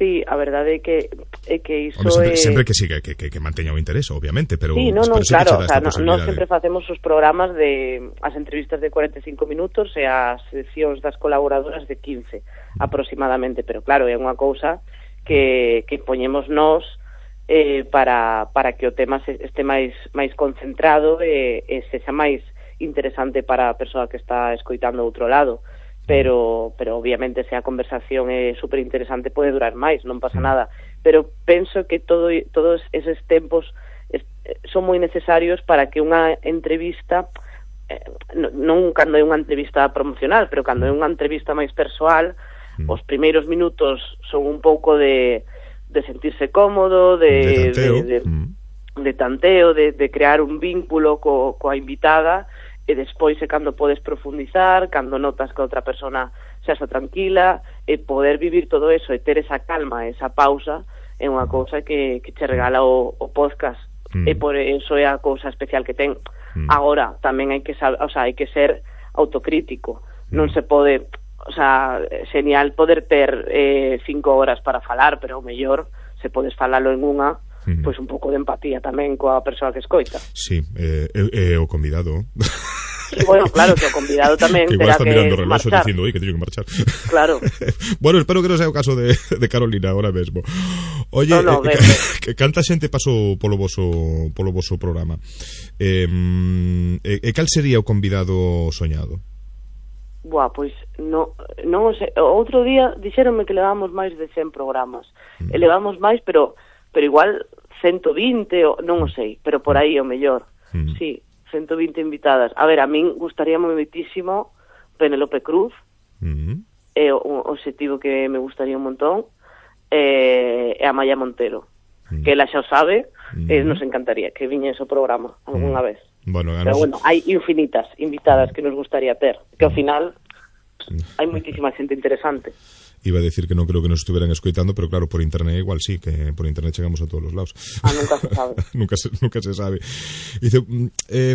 Sí, a verdade é que é que iso sempre, é... sempre que siga que, que, que manteña o interés, obviamente, pero sí, no, no, pero claro, o sea, no, no sempre facemos os programas de as entrevistas de cuarenta e cinco minutos e as seccións das colaboradoras de quince aproximadamente, pero claro, é unha cousa que, que poñemos nós eh, para, para que o tema se, este máis máis concentrado e, e sexa máis interesante para a persoa que está escoitando outro lado. Pero, pero obviamente se a conversación é super interesante pode durar máis, non pasa nada, pero penso que todo, todos eses tempos es, son moi necesarios para que unha entrevista eh, non cando é unha entrevista promocional, pero cando é unha entrevista máis persoal, mm. os primeiros minutos son un pouco de, de sentirse cómodo, de, de tanteo, de, de, mm. de, tanteo de, de crear un vínculo co, coa invitada, e despois é cando podes profundizar, cando notas que a outra persona xa está tranquila, e poder vivir todo eso e ter esa calma, esa pausa, é unha cousa que, que che regala o, o podcast, mm. e por eso é a cousa especial que ten. Mm. Agora, tamén hai que saber, o sea, hai que ser autocrítico, mm. non se pode, o sea, genial poder ter eh, cinco horas para falar, pero o mellor se podes falalo en unha, mm. pois un pouco de empatía tamén coa persoa que escoita. Sí, é eh, eh, o convidado. Sí, bueno, claro, que o convidado tamén que terá que mirando o reloxo marchar. dicindo, oi, que teño que marchar. Claro. Bueno, espero que non sea o caso de, de Carolina ahora mesmo. Oye, no, no, eh, que, que canta xente pasou polo voso polo voso programa. Eh, e, e cal sería o convidado soñado? Buah, pois no, non sei, outro día dixéronme que levamos máis de cen programas. Mm. Elevamos máis, pero pero igual ciento vinte, o, non o sei, pero por aí o mellor. Mm. Sí, ciento vinte invitadas. A ver, a min gustaría moitísimo Penélope Cruz, mm. é un obxectivo que me gustaría un montón, e, e a Maya Montero, mm. que ela xa o sabe, mm. e nos encantaría que viñese o programa algunha mm. vez. Bueno, pero bueno, hai infinitas invitadas que nos gustaría ter, que ao final hai moitísima xente interesante. Iba a decir que non creo que nos estuveran escoitando, pero claro, por internet igual sí, que por internet chegamos a todos os lados. Ah, nunca se sabe. nunca, se, nunca se sabe. Dice, eh,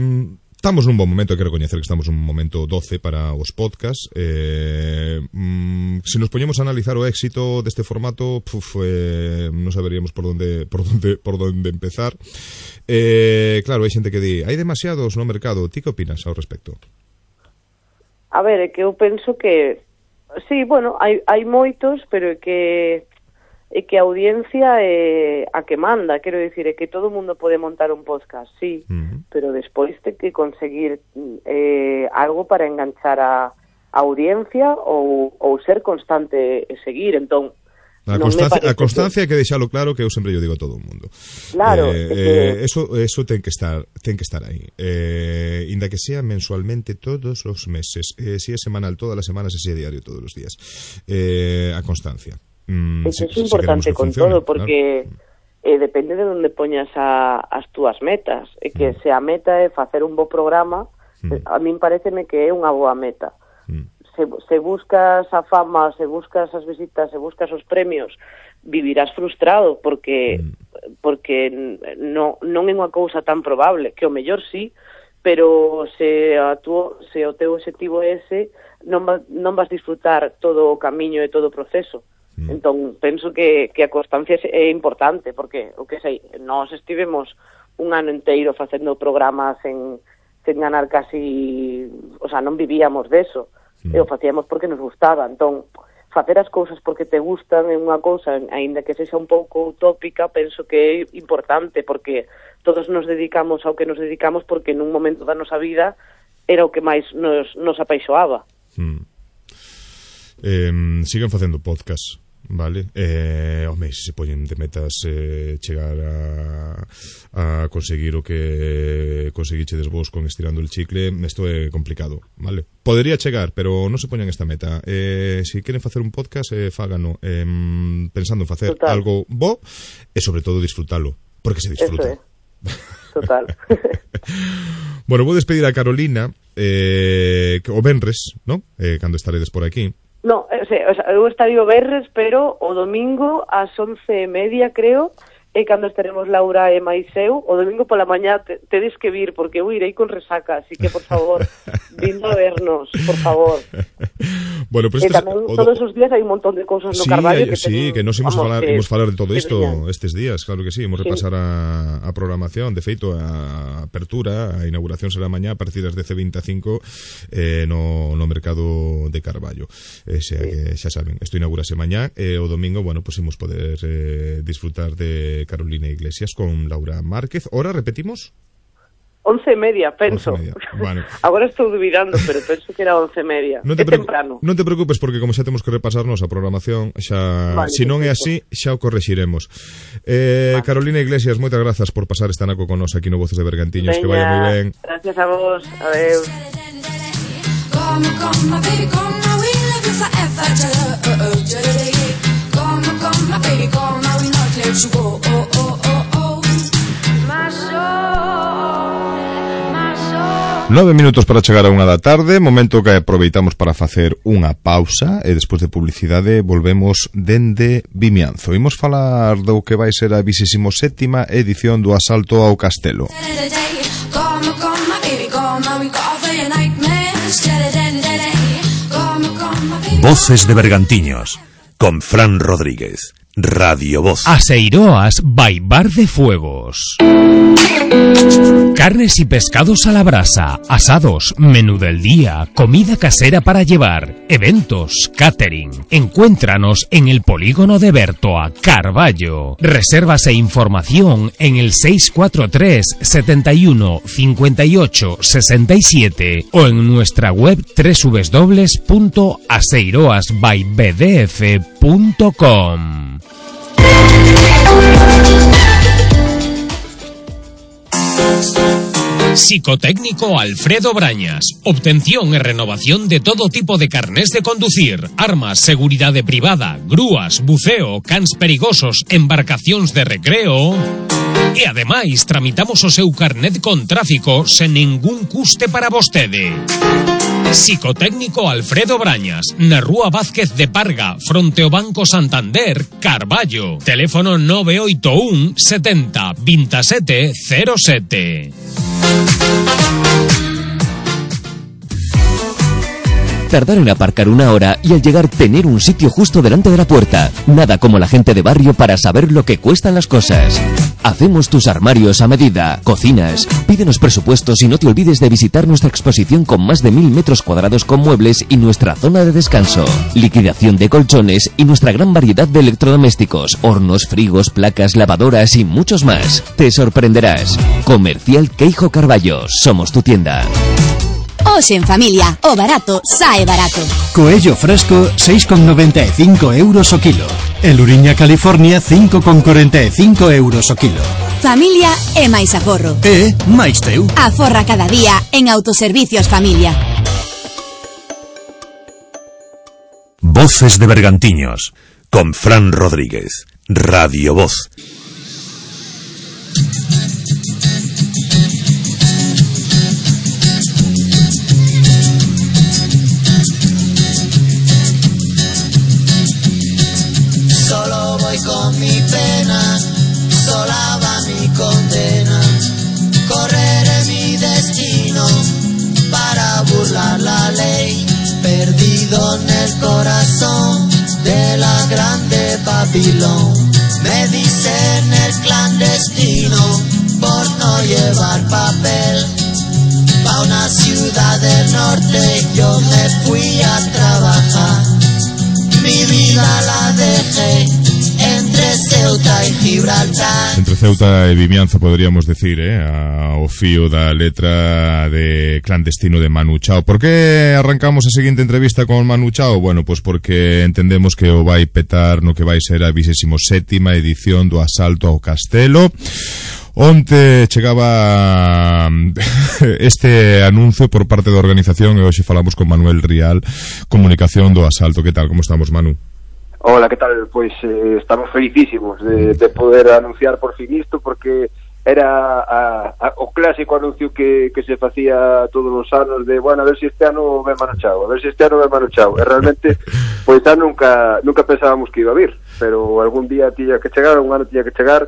estamos nun bon momento, hai que recoñecer que estamos nun momento doce para os podcasts. Eh, mm, se nos poñemos a analizar o éxito deste formato, puf, eh, non saberíamos por onde por onde por onde empezar. Eh, claro, hai xente que di, hai demasiados no mercado. Ti que opinas ao respecto? A ver, é que eu penso que sí, bueno, hai, hai moitos, pero é que é que a audiencia é a que manda, quero dicir, é que todo o mundo pode montar un podcast, sí, uh-huh. pero despois ten que conseguir eh, algo para enganchar a, a audiencia ou, ou ser constante e seguir, entón A constancia, a constancia que... que deixalo claro, que eu sempre yo digo a todo o mundo. Claro, eh, que... eh, eso eso ten que estar, ten que estar aí. Eh, inda que sea mensualmente todos os meses, eh, si é semanal todas as semanas, e si é diario todos os días. Eh, a constancia. Mm, Eso si, é importante si con funcione, todo, porque claro. eh, depende de onde poñas a, as túas metas. E que mm. se a meta é facer un bo programa, mm. a min pareceme que é unha boa meta. Mm. Se, se buscas a fama, se buscas as visitas, se buscas os premios, vivirás frustrado porque mm. porque no, non é unha cousa tan probable, que o mellor sí, pero se a tu, se o teu objetivo é ese, non, va, non vas disfrutar todo o camiño e todo o proceso. Mm. Entón, penso que, que a constancia é importante, porque, o que sei, nós estivemos un ano inteiro facendo programas en, sen ganar casi, o sea, non vivíamos deso. E o facíamos porque nos gustaba, entón facer as cousas porque te gustan é unha cousa, aínda que sexa un pouco utópica, penso que é importante, porque todos nos dedicamos ao que nos dedicamos porque nun momento da nosa vida era o que máis nos, nos apaixoaba. Mm. Eh, sigan facendo podcast, vale? Eh, home, se se poñen de metas eh, chegar a, a conseguir o que conseguichedes vos con Estirando el Chicle, isto é complicado, vale? Podería chegar, pero non se poñan esta meta. Eh, se queren facer un podcast, eh, fágano eh, pensando en facer Total. algo bo e sobre todo disfrutalo, porque se disfruta. Eso é. Total. Bueno, vou despedir a Carolina eh, o venres, ¿no? Eh, cando estaredes por aquí. No, o sea, o sea, eu estaría o verres, pero o domingo ás once e media, creo, e cando estaremos Laura e máis eu, o domingo pola mañá te, tedes que vir, porque eu irei con resaca, así que, por favor, vindo a vernos, por favor. Bueno, pues e tamén do... todos os días hai un montón de cousas no sí, Carballo hay, que sí, ten, que nos imos vamos, falar, que, imos falar de todo isto brillante. estes días, claro que sí, imos repasar sí. a, a programación, de feito a apertura, a inauguración será mañá a partir das dez e vinte e cinco eh, no, no mercado de Carballo, eh, xa, sí. que xa saben, isto inaugurase mañá e eh, o domingo, bueno, pues imos poder eh, disfrutar de Carolina Iglesias con Laura Márquez. Hora, repetimos? Once e media, penso. Once e media. Bueno. Agora estou dubidando, pero penso que era once e media. Non te, é temprano. Non te preocupes, porque como xa temos que repasarnos a programación, xa, vale, se non é así, xa o correxiremos. Eh, vale. Carolina Iglesias, moitas grazas por pasar esta naco con nos aquí no Voces de Bergantiños. Veña, que vaya moi ben. Gracias a vos. Adeus. Come, come, my baby, come, now we love you forever. Come, come, my baby, come, now we not let you go. Oh, oh, oh, oh. My soul, my soul. Nove minutos para chegar a unha da tarde, momento que aproveitamos para facer unha pausa e despois de publicidade volvemos dende Vimianzo. Imos falar do que vai ser a vigésima sétima edición do Asalto ao Castelo. Voces de Bergantiños, con Fran Rodríguez, Radio Voz. Aseiroas by Bar de Fuegos. Carnes y pescados a la brasa, asados, menú del día, comida casera para llevar, eventos, catering. Encuéntranos en el polígono de Bertoa, Carballo. Reservas e información en el seis cuatro tres, setenta y uno, cincuenta y ocho, sesenta y siete o en nuestra web doble u doble u doble u punto aseiroas by b d f punto com. Psicotécnico Alfredo Brañas. Obtención e renovación de todo tipo de carnés de conducir, armas, seguridade privada, grúas, buceo, cans perigosos, embarcacións de recreo. E ademais tramitamos o seu carnet con tráfico sen ningún custe para vostede. Psicotécnico Alfredo Brañas, na Rúa Vázquez de Parga, fronte ao Banco Santander, Carballo. Teléfono nove oito un, setenta, veintisiete cero sete. Tardar en aparcar una hora y al llegar tener un sitio justo delante de la puerta. Nada como la gente de barrio para saber lo que cuestan las cosas. Hacemos tus armarios a medida, cocinas. Pídenos presupuestos y no te olvides de visitar nuestra exposición con más de mil metros cuadrados con muebles y nuestra zona de descanso. Liquidación de colchones y nuestra gran variedad de electrodomésticos, hornos, frigos, placas, lavadoras y muchos más. Te sorprenderás. Comercial Queijo Carballo. Somos tu tienda. Hoxe en familia, o barato sae barato. Coello fresco, seis con noventa e cinco euros o kilo. E Luriña California, cinco con corenta e cinco euros o kilo. Familia e máis aforro. E máis teu. Aforra cada día en Autoservicios Familia. Voces de Bergantiños, con Fran Rodríguez, Radio Voz. Solo voy con mi pena, sola va mi condena. Correré mi destino para burlar la ley. Perdido en el corazón de la grande Babilón. Me dicen el clandestino por no llevar papel. Pa' una ciudad del norte yo me fui a trabajar. Mi vida la dejé entre Ceuta y Gibraltar. Entre Ceuta e Vimianzo, poderíamos decir, eh, ao fío da letra de Clandestino de Manu Chao. Por que arrancamos a seguinte entrevista con Manu Chao? Bueno, pois pues porque entendemos que o vai petar no que vai ser a vigésima sétima edición do asalto ao castelo. Onte chegaba este anuncio por parte da organización e hoxe falamos con Manuel Rial, comunicación do asalto. Que tal, como estamos, Manu? Hola, que tal? Pois eh, estamos felicísimos de, de poder anunciar por fin isto, porque era a, a, o clásico anuncio que, que se facía todos os anos de, bueno, a ver se si este ano ven Manu Chao, a ver se si este ano ven Manu Chao. E realmente, pois xa nunca, nunca pensábamos que iba a vir, pero algún día tiña que chegar, un ano tiña que chegar,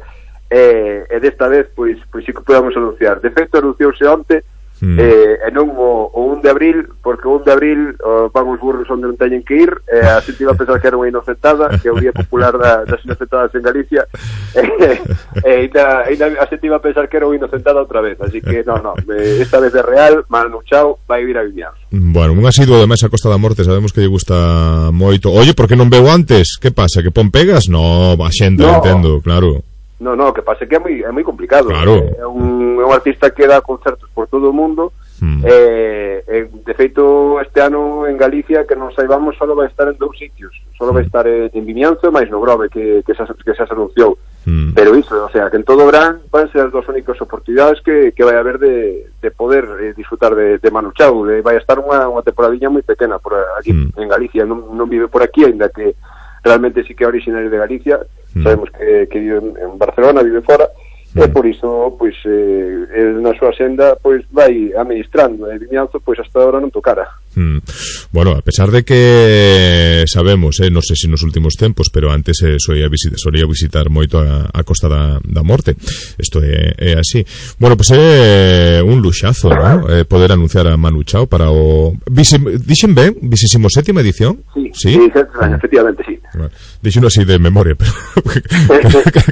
e, e desta vez, pois, pois sí que podemos anunciar. De feito, anunciouse onte, Mm. Eh, e non o, o un de abril, porque o un de abril o, van os burros onde non teñen que ir, eh, a xente iba a pensar que era unha inocentada, que é o día popular da, das inocentadas en Galicia, e eh, ainda, ainda a xente iba a pensar que era unha inocentada outra vez, así que non, non, eh, esta vez é real. Manu Chao vai vir a Vimianzo. Bueno, un asiduo ademais a Costa da Morte, sabemos que lle gusta moito. Oye, por que non veo antes? Que pasa, que pon pegas? No, a xente, no. Entendo, claro. No, no, que pase que é moi, é moi complicado. Claro. É un, é un artista que dá concertos por todo o mundo. Mm. Eh, eh, de feito, este ano en Galicia, que non saibamos, só vai estar en dous sitios. Só vai estar en, en Vimianzo e máis no Grove, que, que, xa, que xa se anunciou. Mm. Pero iso, o sea, que en todo o verán van ser as dos únicas oportunidades que, que vai haber de, de poder eh, disfrutar de, de Manu Chao. De, vai estar unha, unha temporadinha moi pequena por aquí mm. en Galicia. Non, non vive por aquí, ainda que realmente sí que é originario de Galicia. Mm. Sabemos que, que vive en Barcelona, vive fora, mm. e por iso, pois, eh, na súa senda, pois, vai administrando, e Vimianzo, pois, hasta agora non tocara. Mm. Bueno, a pesar de que sabemos, eh, non sei se nos últimos tempos, pero antes eh, solía, visitar, solía visitar moito a, a Costa da, da Morte, isto é, é así. Bueno, pois pues é un luxazo, ¿no? Eh, poder anunciar a Manu Chao para o... Dixen ben, vigésima sétima edición? Sí, sí, sí, efectivamente, sí. Bueno, dixen así de memoria, pero...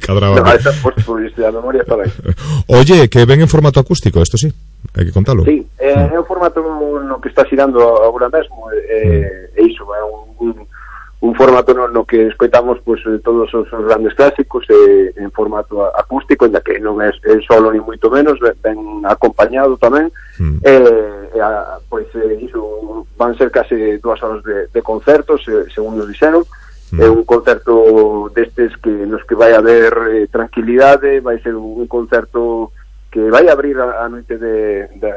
cadraba. No, esa, pues, pues, la memoria está ben. Oye, que ven en formato acústico, esto sí, hai que contalo. Sí, eh, é un formato no que está xirando agora mesmo, eh, e iso, é un, un, un formato no, no que escoitamos pues, todos os, os grandes clásicos eh, en formato acústico, ainda que non é, é solo ni moito menos, ben acompañado tamén. Mm. eh, a, pois eh, iso van ser case dúas horas de, de concertos, eh, según nos dixeron. Mm. É un concerto destes que nos que vai haber eh, tranquilidade, vai ser un, un concerto que vai abrir a, a noite de, de,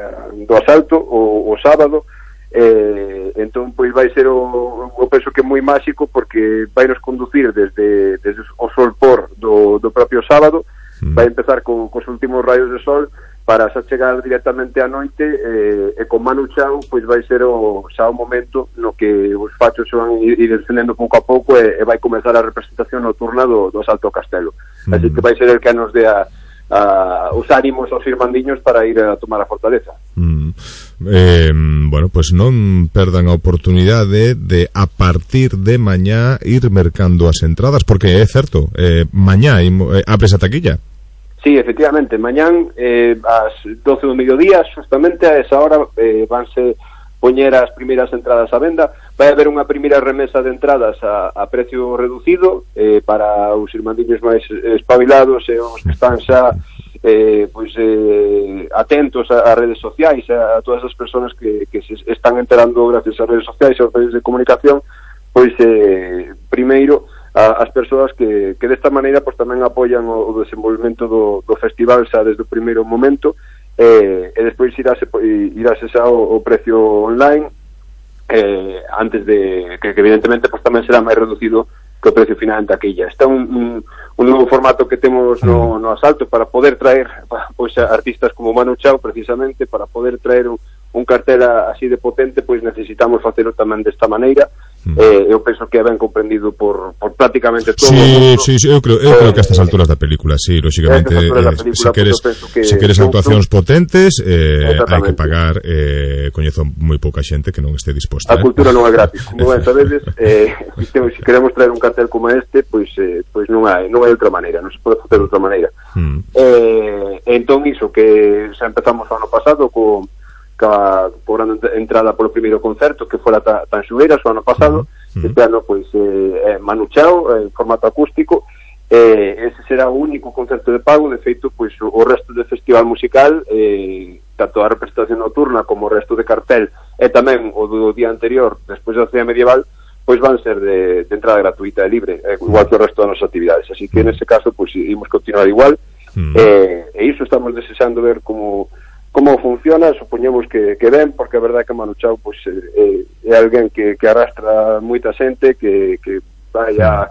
do asalto o, o sábado. Eh, entón pois vai ser o, o penso que é moi máxico, porque vai nos conducir desde, desde o sol por do, do propio sábado. Mm. Vai empezar co, cos últimos rayos de sol para xa chegar directamente á noite, eh, e con Manu Chao pois vai ser o, xa o momento no que os fachos van ir, ir descendendo pouco a pouco, e, e vai comezar a representación nocturna do, do asalto ao castelo. Mm. Así que vai ser el que nos dé a a os ánimos aos irmandiños para ir a tomar a fortaleza. Mm. Eh, bueno, pues non perdan a oportunidade de a partir de mañá ir mercando as entradas, porque é certo, eh, mañá eh, abres a taquilla. Sí, efectivamente, mañán eh, ás doce do mediodía, justamente a esa hora eh, vanse poñer as primeiras entradas á venda. Vai haber unha primeira remesa de entradas a, a precio reducido eh, para os irmandiños máis espabilados e os que están xa eh, pois, eh, atentos a, a redes sociais, a, a todas as persoas que, que se están enterando gracias ás redes sociais e aos medios de comunicación, pois eh, primeiro a, as persoas que, que desta maneira pois, tamén apoian o, o desenvolvemento do, do festival xa desde o primeiro momento. Eh, e despois irase, irase xa o, o precio online, eh, antes de que, que evidentemente pues, tamén será máis reducido que o precio final en taquilla. Está un, un, un novo formato que temos no, no asalto para poder traer pois, artistas como Manu Chao, precisamente para poder traer un, un cartel así de potente, pois necesitamos facelo tamén desta maneira. Mm. Eh, eu penso que é ben comprendido por, por prácticamente todo sí, o mundo. Sí, sí, eu creo, eu eh, creo que a estas alturas da película, sí, lógicamente, eh, se queres, que se queres actuacións potentes, eh, hai que pagar, eh, coñezo moi pouca xente que non este disposta. A cultura non é gratis, como ben sabedes, eh, se queremos traer un cartel como este, pois eh, pois non hai, non hai outra maneira, non se pode facer de outra maneira. Mm. Eh, entón iso que xa empezamos o ano pasado co cobrando entrada polo primeiro concerto que fora Tanxugueiras o ano pasado. Uh-huh. Este ano pois eh, Manu Chao en formato acústico, eh, ese será o único concerto de pago. De feito, pois o, o resto do festival musical, eh, tanto a representación nocturna como o resto de cartel e tamén o do día anterior, despois da cea medieval, pois van ser de, de entrada gratuita e libre, eh, igual que o resto das nosas actividades. Así que nese caso, pois imos continuar igual, mm. eh, e iso estamos desexando ver como como funciona. Supoñemos que, que ben, porque a verdade que Manu Chao pois, eh, é alguén que, que arrastra moita xente, que, que vai a,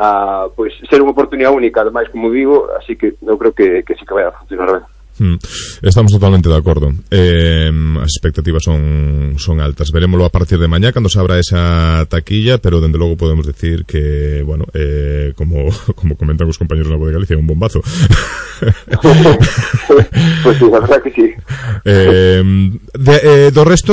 a pois, ser unha oportunidade única, ademais, como digo, así que eu creo que, que sí que vai a funcionar ben. Mm, estamos totalmente de acordo. Eh, as expectativas son son altas. Verémoslo a partir de mañá cando se abra esa taquilla, pero dende logo podemos decir que, bueno, eh, como como comentan os compañeros na Voz de Galicia, é un bombazo. Pois pues, sí, a verdad que sí. Eh, de, eh, do resto